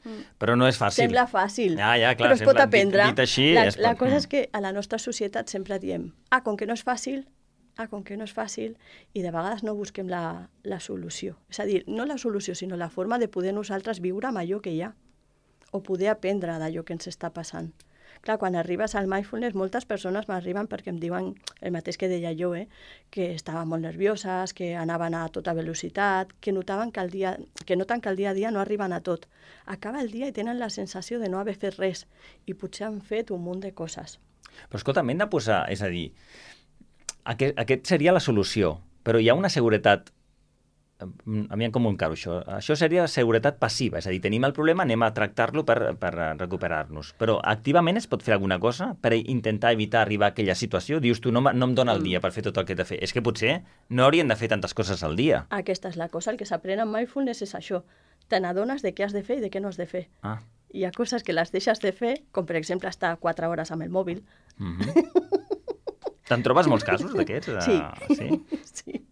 [SPEAKER 19] Mm.
[SPEAKER 1] Però no és fàcil.
[SPEAKER 19] Sembla fàcil,
[SPEAKER 1] clar,
[SPEAKER 19] però es pot aprendre.
[SPEAKER 1] Dit així,
[SPEAKER 19] la cosa és que a la nostra societat sempre diem com que no és fàcil, i de vegades no busquem la solució. És a dir, no la solució, sinó la forma de poder nosaltres viure amb allò que hi ha, o poder aprendre d'allò que ens està passant. Clar, quan arribes al mindfulness, moltes persones m'arriben perquè em diuen el mateix que deia jo, que estaven molt nervioses, que anaven a tota velocitat, que notaven que noten que el dia a dia no arriben a tot. Acaba el dia i tenen la sensació de no haver fet res, i potser han fet un munt de coses.
[SPEAKER 1] Però escolta, hem de posar, és a dir, aquest seria la solució, però hi ha una seguretat. Aviam com ho encaro, això. Això seria seguretat passiva, és a dir, tenim el problema, anem a tractar-lo per recuperar-nos. Però activament es pot fer alguna cosa per intentar evitar arribar a aquella situació? Dius tu, no em dona el dia per fer tot el que he de fer. És que potser no haurien de fer tantes coses al dia.
[SPEAKER 19] Aquesta és la cosa, el que s'aprèn en mindfulness és això. Te n'adones de què has de fer i de què no has de fer. Hi ha coses que les deixes de fer, com per exemple estar 4 hores amb el mòbil.
[SPEAKER 1] Te'n trobes molts casos d'aquests?
[SPEAKER 19] Sí.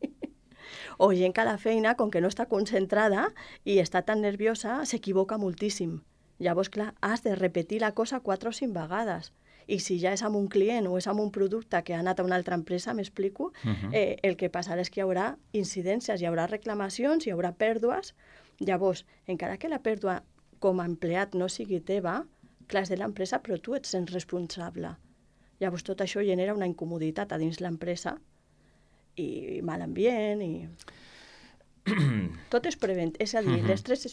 [SPEAKER 19] O gent que a la feina, com que no està concentrada i està tan nerviosa, s'equivoca moltíssim. Llavors, clar, has de repetir la cosa 4 o 5 vegades. I si ja és amb un client o és amb un producte que ha anat a una altra empresa, m'explico, el que passarà és que hi haurà incidències, hi haurà reclamacions, hi haurà pèrdues. Llavors, encara que la pèrdua com a empleat no sigui teva, clar, és de l'empresa, però tu ets sent responsable. Llavors, tot això genera una incomoditat a dins l'empresa i mal ambient i... Tot és és a dir, l'estrès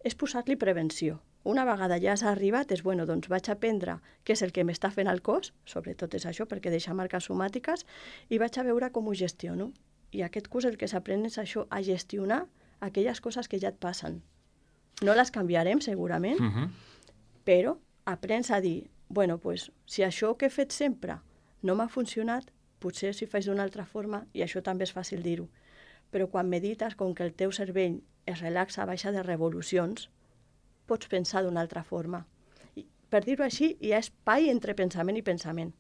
[SPEAKER 19] és posar-li prevenció. Una vegada ja has arribat, és bueno, doncs vaig aprendre què és el que m'està fent el cos, sobretot és això, perquè deixa marques somàtiques, i vaig a veure com ho gestiono. I aquest curs el que s'aprèn és això, a gestionar aquelles coses que ja et passen. No les canviarem, segurament, però aprens a dir, bueno, pues, si això que he fet sempre no m'ha funcionat, potser si faig d'una altra forma, i això també és fàcil dir-ho, però quan medites, com que el teu cervell es relaxa, baixa de revolucions, pots pensar d'una altra forma. I, per dir-ho així, hi ha espai entre pensament i pensament.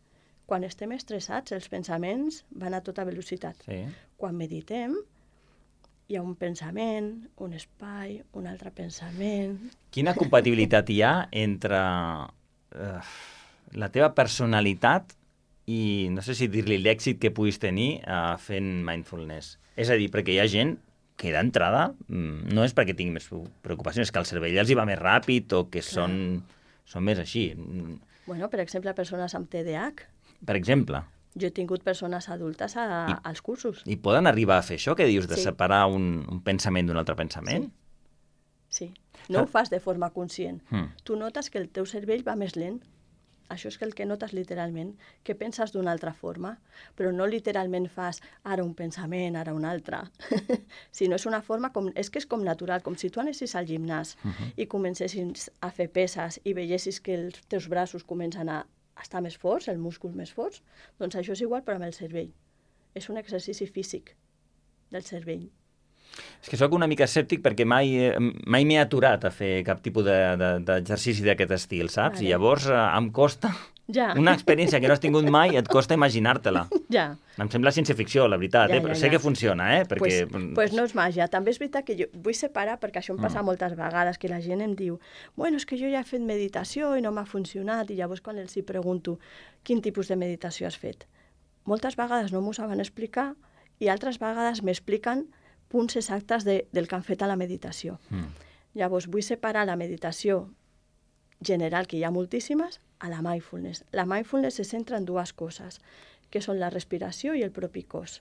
[SPEAKER 19] Quan estem estressats, els pensaments van a tota velocitat.
[SPEAKER 1] Sí.
[SPEAKER 19] Quan meditem, hi ha un pensament, un espai, un altre pensament...
[SPEAKER 1] Quina compatibilitat hi ha entre la teva personalitat i no sé si dir-li l'èxit que puguis tenir fent mindfulness? És a dir, perquè hi ha gent que d'entrada no és perquè tingui més preocupacions, és que el cervell els hi va més ràpid o que són més així.
[SPEAKER 19] Bueno, per exemple, persones amb TDAH.
[SPEAKER 1] Per exemple.
[SPEAKER 19] Jo he tingut persones adultes als cursos.
[SPEAKER 1] I poden arribar a fer això que dius, de separar un pensament d'un altre pensament?
[SPEAKER 19] Sí. No ho fas de forma conscient. Tu notes que el teu cervell va més lent. Això és el que notes literalment, que penses d'una altra forma, però no literalment fas ara un pensament, ara un altre, sinó és una forma, és que és com natural, com si tu anessis al gimnàs i comencessis a fer peses i veiessis que els teus braços comencen a estar més forts, els músculs més forts, doncs això és igual però amb el cervell. És un exercici físic del cervell.
[SPEAKER 1] És que sóc una mica escèptic perquè mai m'he aturat a fer cap tipus d'exercici d'aquest estil, saps? I llavors em costa... Una experiència que no has tingut mai et costa imaginar-te-la. Em sembla ciència-ficció, la veritat, però sé que funciona, perquè...
[SPEAKER 19] Pues no és màgia. També és veritat que jo vull separar, perquè això em passa moltes vegades, que la gent em diu bueno, és que jo ja he fet meditació i no m'ha funcionat, i llavors quan els hi pregunto quin tipus de meditació has fet, moltes vegades no m'ho saben explicar i altres vegades m'expliquen punts exactes del que han fet a la meditació. Llavors, vull separar la meditació general, que hi ha moltíssimes, a la mindfulness. La mindfulness se centra en dues coses, que són la respiració i el propi cos.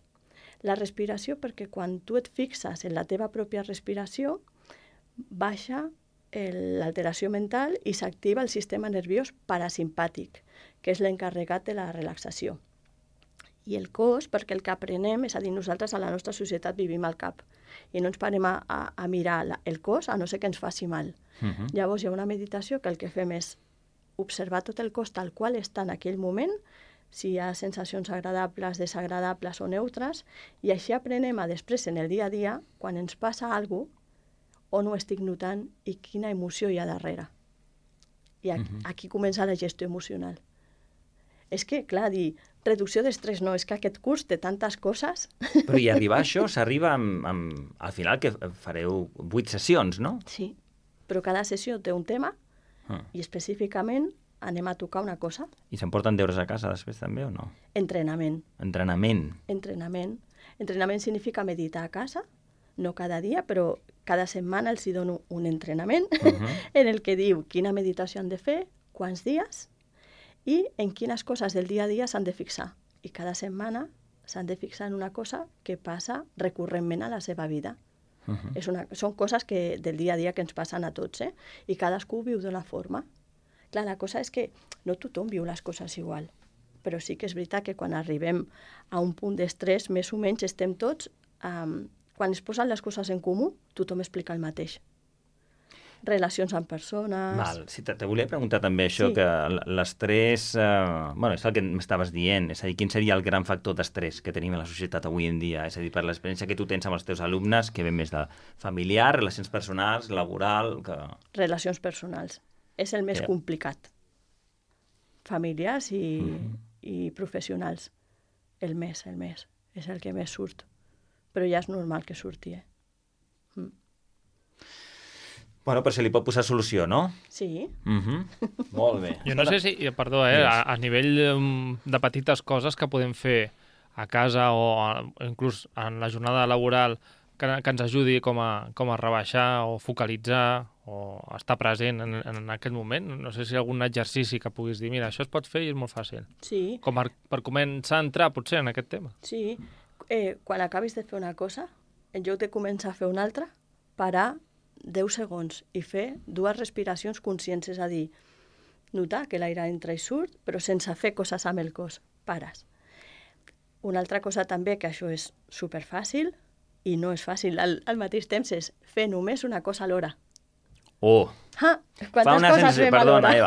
[SPEAKER 19] La respiració perquè quan tu et fixes en la teva pròpia respiració, baixa l'alteració mental i s'activa el sistema nerviós parasimpàtic, que és l'encarregat de la relaxació. I el cos, perquè el que aprenem, és a dir, nosaltres a la nostra societat vivim al cap i no ens parem a mirar el cos a no ser que ens faci mal. Llavors hi ha una meditació que el que fem és observar tot el cos tal qual està en aquell moment, si hi ha sensacions agradables, desagradables o neutres, i així aprenem a després en el dia a dia, quan ens passa alguna cosa, on ho estic notant i quina emoció hi ha darrere. I aquí comença la gestió emocional. És que, clar, dir reducció d'estrès no, és que aquest curs té tantes coses.
[SPEAKER 1] Però i arribar a això s'arriba al final que fareu 8 sessions, no?
[SPEAKER 19] Sí, però cada sessió té un tema i específicament anem a tocar una cosa.
[SPEAKER 1] I s'emporten deures a casa després també o no?
[SPEAKER 19] Entrenament.
[SPEAKER 1] Entrenament.
[SPEAKER 19] Entrenament. Entrenament significa meditar a casa, no cada dia, però cada setmana els hi dono un entrenament en el que diu quina meditació han de fer, quants dies, i en quines coses del dia a dia s'han de fixar. I cada setmana s'han de fixar en una cosa que passa recurrentment a la seva vida. Són coses del dia a dia que ens passen a tots, i cadascú viu d'una forma. Clar, la cosa és que no tothom viu les coses igual, però sí que és veritat que quan arribem a un punt d'estrès, més o menys estem tots... Quan es posen les coses en comú, tothom explica el mateix. Relacions amb persones...
[SPEAKER 1] Val. Sí, te volia preguntar també això, que l'estrès... és el que m'estaves dient. És a dir, quin seria el gran factor d'estrès que tenim a la societat avui en dia? És a dir, per l'experiència que tu tens amb els teus alumnes, que ve més de familiar, relacions personals, laboral...
[SPEAKER 19] Relacions personals. És el més complicat. Familiars i professionals. El més. És el que més surt. Però ja és normal que surti,
[SPEAKER 1] Bueno, però se li pot posar solució, no?
[SPEAKER 19] Sí.
[SPEAKER 1] Molt bé.
[SPEAKER 2] Jo no sé si, perdó, a nivell de petites coses que podem fer a casa o inclús en la jornada laboral que ens ajudi com a rebaixar o focalitzar o estar present en aquest moment. No sé si hi ha algun exercici que puguis dir, mira, això es pot fer i és molt fàcil.
[SPEAKER 19] Sí.
[SPEAKER 2] Com per començar a entrar, potser, en aquest tema.
[SPEAKER 19] Sí. Quan acabis de fer una cosa, en lloc de començar a fer una altra, parar 10 segons i fer 2 respiracions conscients, és a dir, notar que l'aire entra i surt, però sense fer coses amb el cos. Pares. Una altra cosa també, que això és superfàcil i no és fàcil al mateix temps, és fer només una cosa alhora.
[SPEAKER 1] Oh!
[SPEAKER 19] Quantes coses fem
[SPEAKER 1] alhora? Eva,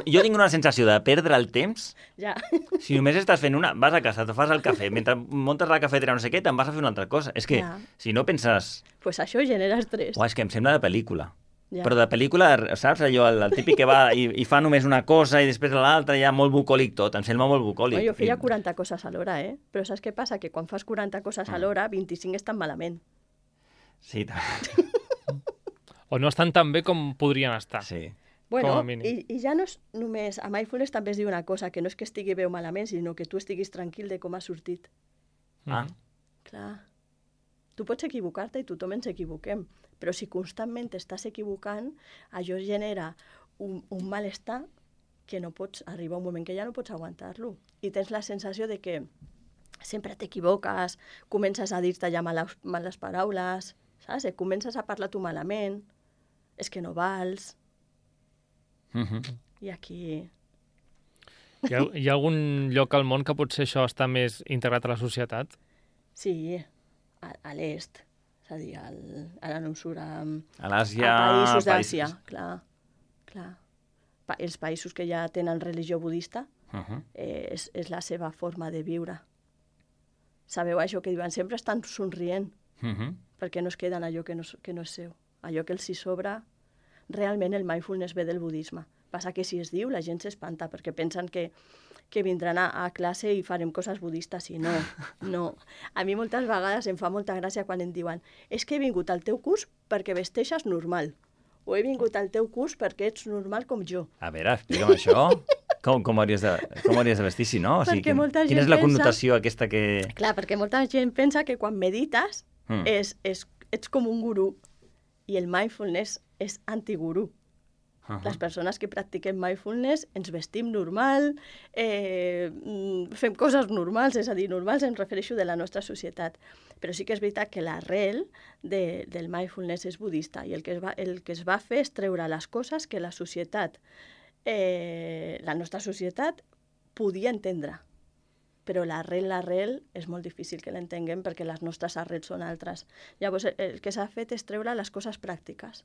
[SPEAKER 1] jo tinc una sensació de perdre el temps.
[SPEAKER 19] Ja.
[SPEAKER 1] Si només estàs fent una... Vas a casa, te fas el cafè, mentre muntes la cafetera no sé què, te'n vas a fer una altra cosa. És que, si no penses...
[SPEAKER 19] Pues això genera estrès.
[SPEAKER 1] És que em sembla de pel·lícula. Ja. Però de pel·lícula, saps, allò, el típic que va i fa només una cosa i després l'altra, ja molt bucòlic tot, em sembla molt bucòlic.
[SPEAKER 19] Jo feia 40 coses alhora, però saps què passa? Que quan fas 40 coses alhora, 25 estan malament.
[SPEAKER 1] Sí,
[SPEAKER 2] o no estan tan bé com podrien estar.
[SPEAKER 1] Sí.
[SPEAKER 19] Bueno, i ja no és només... A Mindfulness també es diu una cosa, que no és que estigui bé o malament, sinó que tu estiguis tranquil de com ha sortit. Clar. Tu pots equivocar-te i tothom ens equivoquem, però si constantment t'estàs equivocant, això genera un malestar que no pots arribar a un moment que ja no pots aguantar-lo. I tens la sensació de que sempre t'equivoques, comences a dir-te ja males paraules, saps? Comences a parlar tu malament. és que no vals. I aquí...
[SPEAKER 2] Hi ha algun lloc al món que potser això està més integrat a la societat?
[SPEAKER 19] Sí, a l'est. És a dir, ara no em surt...
[SPEAKER 1] A l'Àsia...
[SPEAKER 19] A països d'Àsia, clar. Els països que ja tenen religió budista és la seva forma de viure. Sabeu això que diuen? Sempre estan somrient, perquè no es queden allò que no és seu. Allò que els hi sobra, realment el mindfulness ve del budisme. Passa que si es diu, la gent s'espanta, perquè pensen que vindran a classe i farem coses budistes, i no. A mi moltes vegades em fa molta gràcia quan em diuen és que he vingut al teu curs perquè vesteixes normal, o he vingut al teu curs perquè ets normal com jo.
[SPEAKER 1] A veure, explica'm això. Com hauries de vestir, si no? O sigui, quina és la connotació aquesta que...
[SPEAKER 19] Clar, perquè molta gent pensa que quan medites ets com un gurú, i el mindfulness és antigurú. Les persones que practiquem mindfulness ens vestim normal, fem coses normals, és a dir, normals em refereixo de la nostra societat. Però sí que és veritat que l'arrel del mindfulness és budista, i el que es va fer és treure les coses que la societat, la nostra societat, podia entendre. Però l'arrel és molt difícil que l'entenguem perquè les nostres arrels són altres. Llavors, el que s'ha fet és treure les coses pràctiques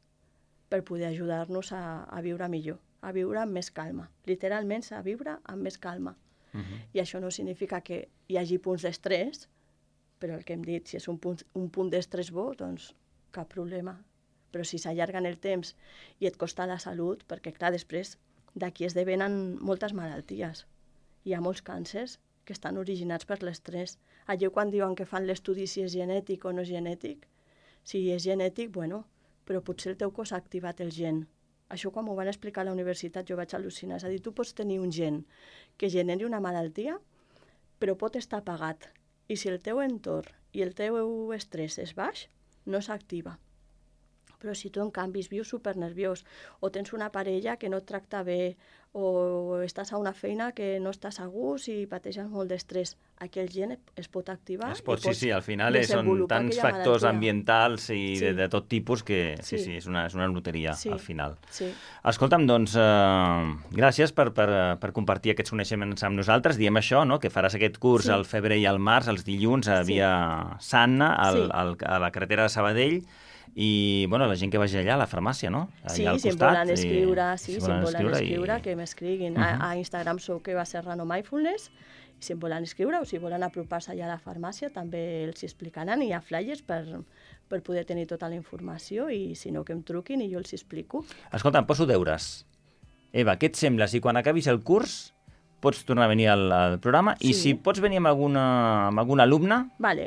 [SPEAKER 19] per poder ajudar-nos a viure millor, a viure amb més calma. Literalment, a viure amb més calma. I això no significa que hi hagi punts d'estrès, però el que hem dit, si és un punt d'estrès bo, doncs cap problema. Però si s'allarga en el temps i et costa la salut, perquè clar, després d'aquí esdevenen moltes malalties. Hi ha molts càncers que estan originats per l'estrès. Allò quan diuen que fan l'estudi si és genètic o no és genètic, si és genètic, bueno, però potser el teu cos ha activat el gen. Això quan m'ho van explicar a la universitat jo vaig al·lucinar. És a dir, tu pots tenir un gen que generi una malaltia, però pot estar apagat. I si el teu entorn i el teu estrès és baix, no s'activa. Però si tu, en canvi, vius supernerviós, o tens una parella que no et tracta bé, o estàs a una feina que no estàs a gust i pateixes molt d'estrès, aquell gen es pot activar.
[SPEAKER 1] Sí, al final són tants factors ambientals i de tot tipus que sí, és una loteria al final. Escolta'm, doncs, gràcies per compartir aquests coneixements amb nosaltres. Diem això, que faràs aquest curs al febrer i al març, els dilluns, a Via Sanna, a la carretera de Sabadell. I, bueno, la gent que vagi allà a la farmàcia, no?
[SPEAKER 19] Sí, si em volen escriure, que m'escriguin. A Instagram soc Eva Serrano Mindfulness, i si em volen escriure o si volen apropar-se allà a la farmàcia també els explicaran, i hi ha flyers per poder tenir tota la informació, i si no que em truquin i jo els explico.
[SPEAKER 1] Escolta, em poso deures. Eva, què et sembla si quan acabis el curs pots tornar a venir al programa i si pots venir amb algun alumne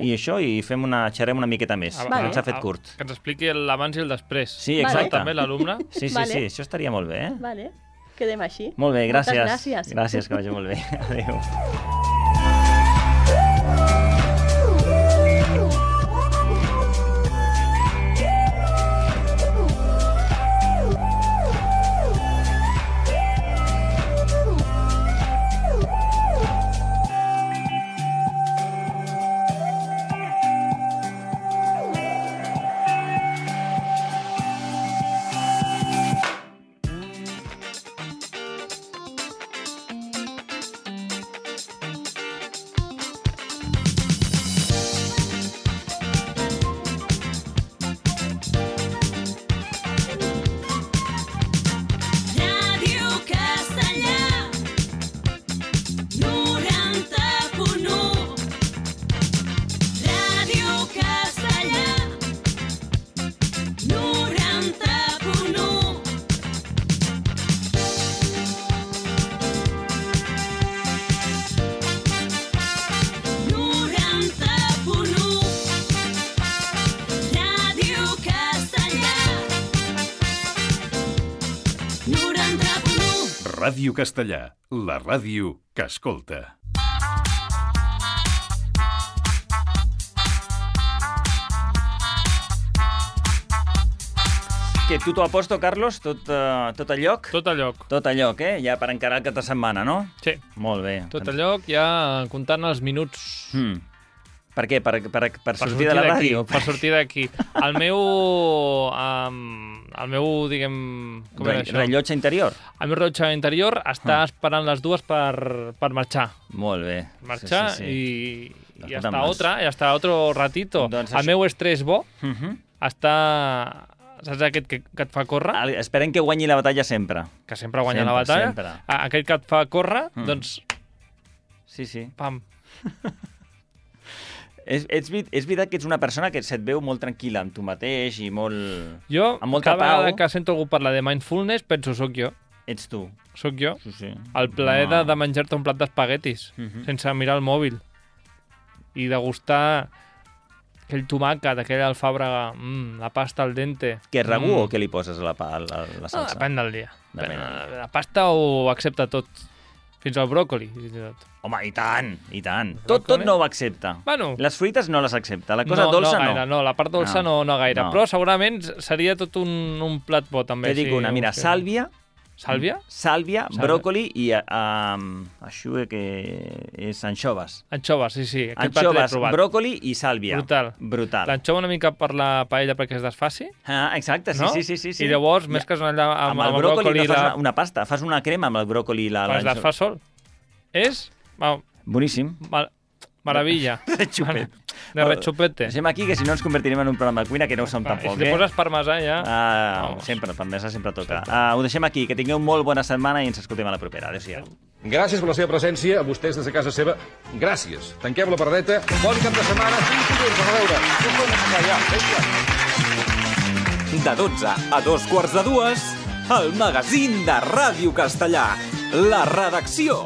[SPEAKER 1] i això, i xerrem una miqueta més. Ens ha fet curt.
[SPEAKER 2] Que ens expliqui l'abans i el després.
[SPEAKER 1] Sí, exacte.
[SPEAKER 2] També l'alumne.
[SPEAKER 1] Sí, això estaria molt bé.
[SPEAKER 19] Vale, quedem així.
[SPEAKER 1] Molt bé, gràcies.
[SPEAKER 19] Moltes gràcies.
[SPEAKER 1] Gràcies, que vagi molt bé. Adéu.
[SPEAKER 20] Ràdio Castellà, la ràdio que escolta.
[SPEAKER 1] Que tu t'ho aposto, Carlos? Tot a lloc?
[SPEAKER 2] Tot a lloc.
[SPEAKER 1] Tot a lloc, ja per encarar el cap de setmana, no?
[SPEAKER 2] Sí.
[SPEAKER 1] Molt bé.
[SPEAKER 2] Tot a lloc, ja comptant els minuts.
[SPEAKER 1] Per què? Per sortir de la ràdio?
[SPEAKER 2] Per sortir d'aquí. El meu el meu, diguem...
[SPEAKER 1] Rellotge interior?
[SPEAKER 2] El meu rellotge interior està esperant les dues per marxar.
[SPEAKER 1] Molt bé.
[SPEAKER 2] Marxar i hasta otro ratito. El meu estrès bo està... Saps aquest que et fa córrer?
[SPEAKER 1] Esperem que guanyi la batalla sempre.
[SPEAKER 2] Que sempre guanya la batalla. Sempre. Aquest que et fa córrer, doncs...
[SPEAKER 1] Sí.
[SPEAKER 2] Pam.
[SPEAKER 1] És veritat que ets una persona que se't veu molt tranquil·la amb tu mateix i molt...
[SPEAKER 2] Jo,
[SPEAKER 1] amb molta
[SPEAKER 2] cada vegada que sento algú parlar de mindfulness, penso, soc jo.
[SPEAKER 1] Ets tu.
[SPEAKER 2] Soc jo.
[SPEAKER 1] Sí.
[SPEAKER 2] El plaer de menjar-te un plat d'espaguetis, sense mirar el mòbil. I degustar aquell tomàquet, aquell alfàbrega, la pasta al dente.
[SPEAKER 1] Que és ragú o què li poses a la salsa?
[SPEAKER 2] Depèn del dia. La pasta ho accepta tot. Fins al bròcoli.
[SPEAKER 1] Home, i tant. Tot no ho accepta.
[SPEAKER 2] Bueno.
[SPEAKER 1] Les fruites no les accepta. La cosa dolça no.
[SPEAKER 2] No, la part dolça no gaire. No. Però segurament seria tot un plat bo, també.
[SPEAKER 1] Te dic una, mira, sàlvia...
[SPEAKER 2] Sàlvia?
[SPEAKER 1] Sàlvia, bròcoli i això que és anxoves.
[SPEAKER 2] Anxoves, sí.
[SPEAKER 1] Anxoves, bròcoli i sàlvia. Brutal.
[SPEAKER 2] L'anxova una mica per la paella perquè es desfaci.
[SPEAKER 1] Exacte,
[SPEAKER 2] no?
[SPEAKER 1] Sí.
[SPEAKER 2] I llavors mesques allà amb el bròcoli...
[SPEAKER 1] Fas una pasta, fas una crema amb el bròcoli i l'anxova.
[SPEAKER 2] Es desfà sol. És...
[SPEAKER 1] Boníssim.
[SPEAKER 2] Maravilla. De rechupete.
[SPEAKER 1] Deixem aquí, que si no ens convertirem en un programa de cuina, que no ho som tampoc.
[SPEAKER 2] Si te poses parmesà, ja...
[SPEAKER 1] Sempre, parmesà sempre toca. Ho deixem aquí, que tingueu molt bona setmana i ens escoltem a la propera. Adéu-siau.
[SPEAKER 21] Gràcies per la seva presència, a vostès des de casa seva. Gràcies. Tanquem la paradeta. Bon cap de setmana.
[SPEAKER 3] De 12 a 2:15, el magazín de Ràdio Castellà. La redacció.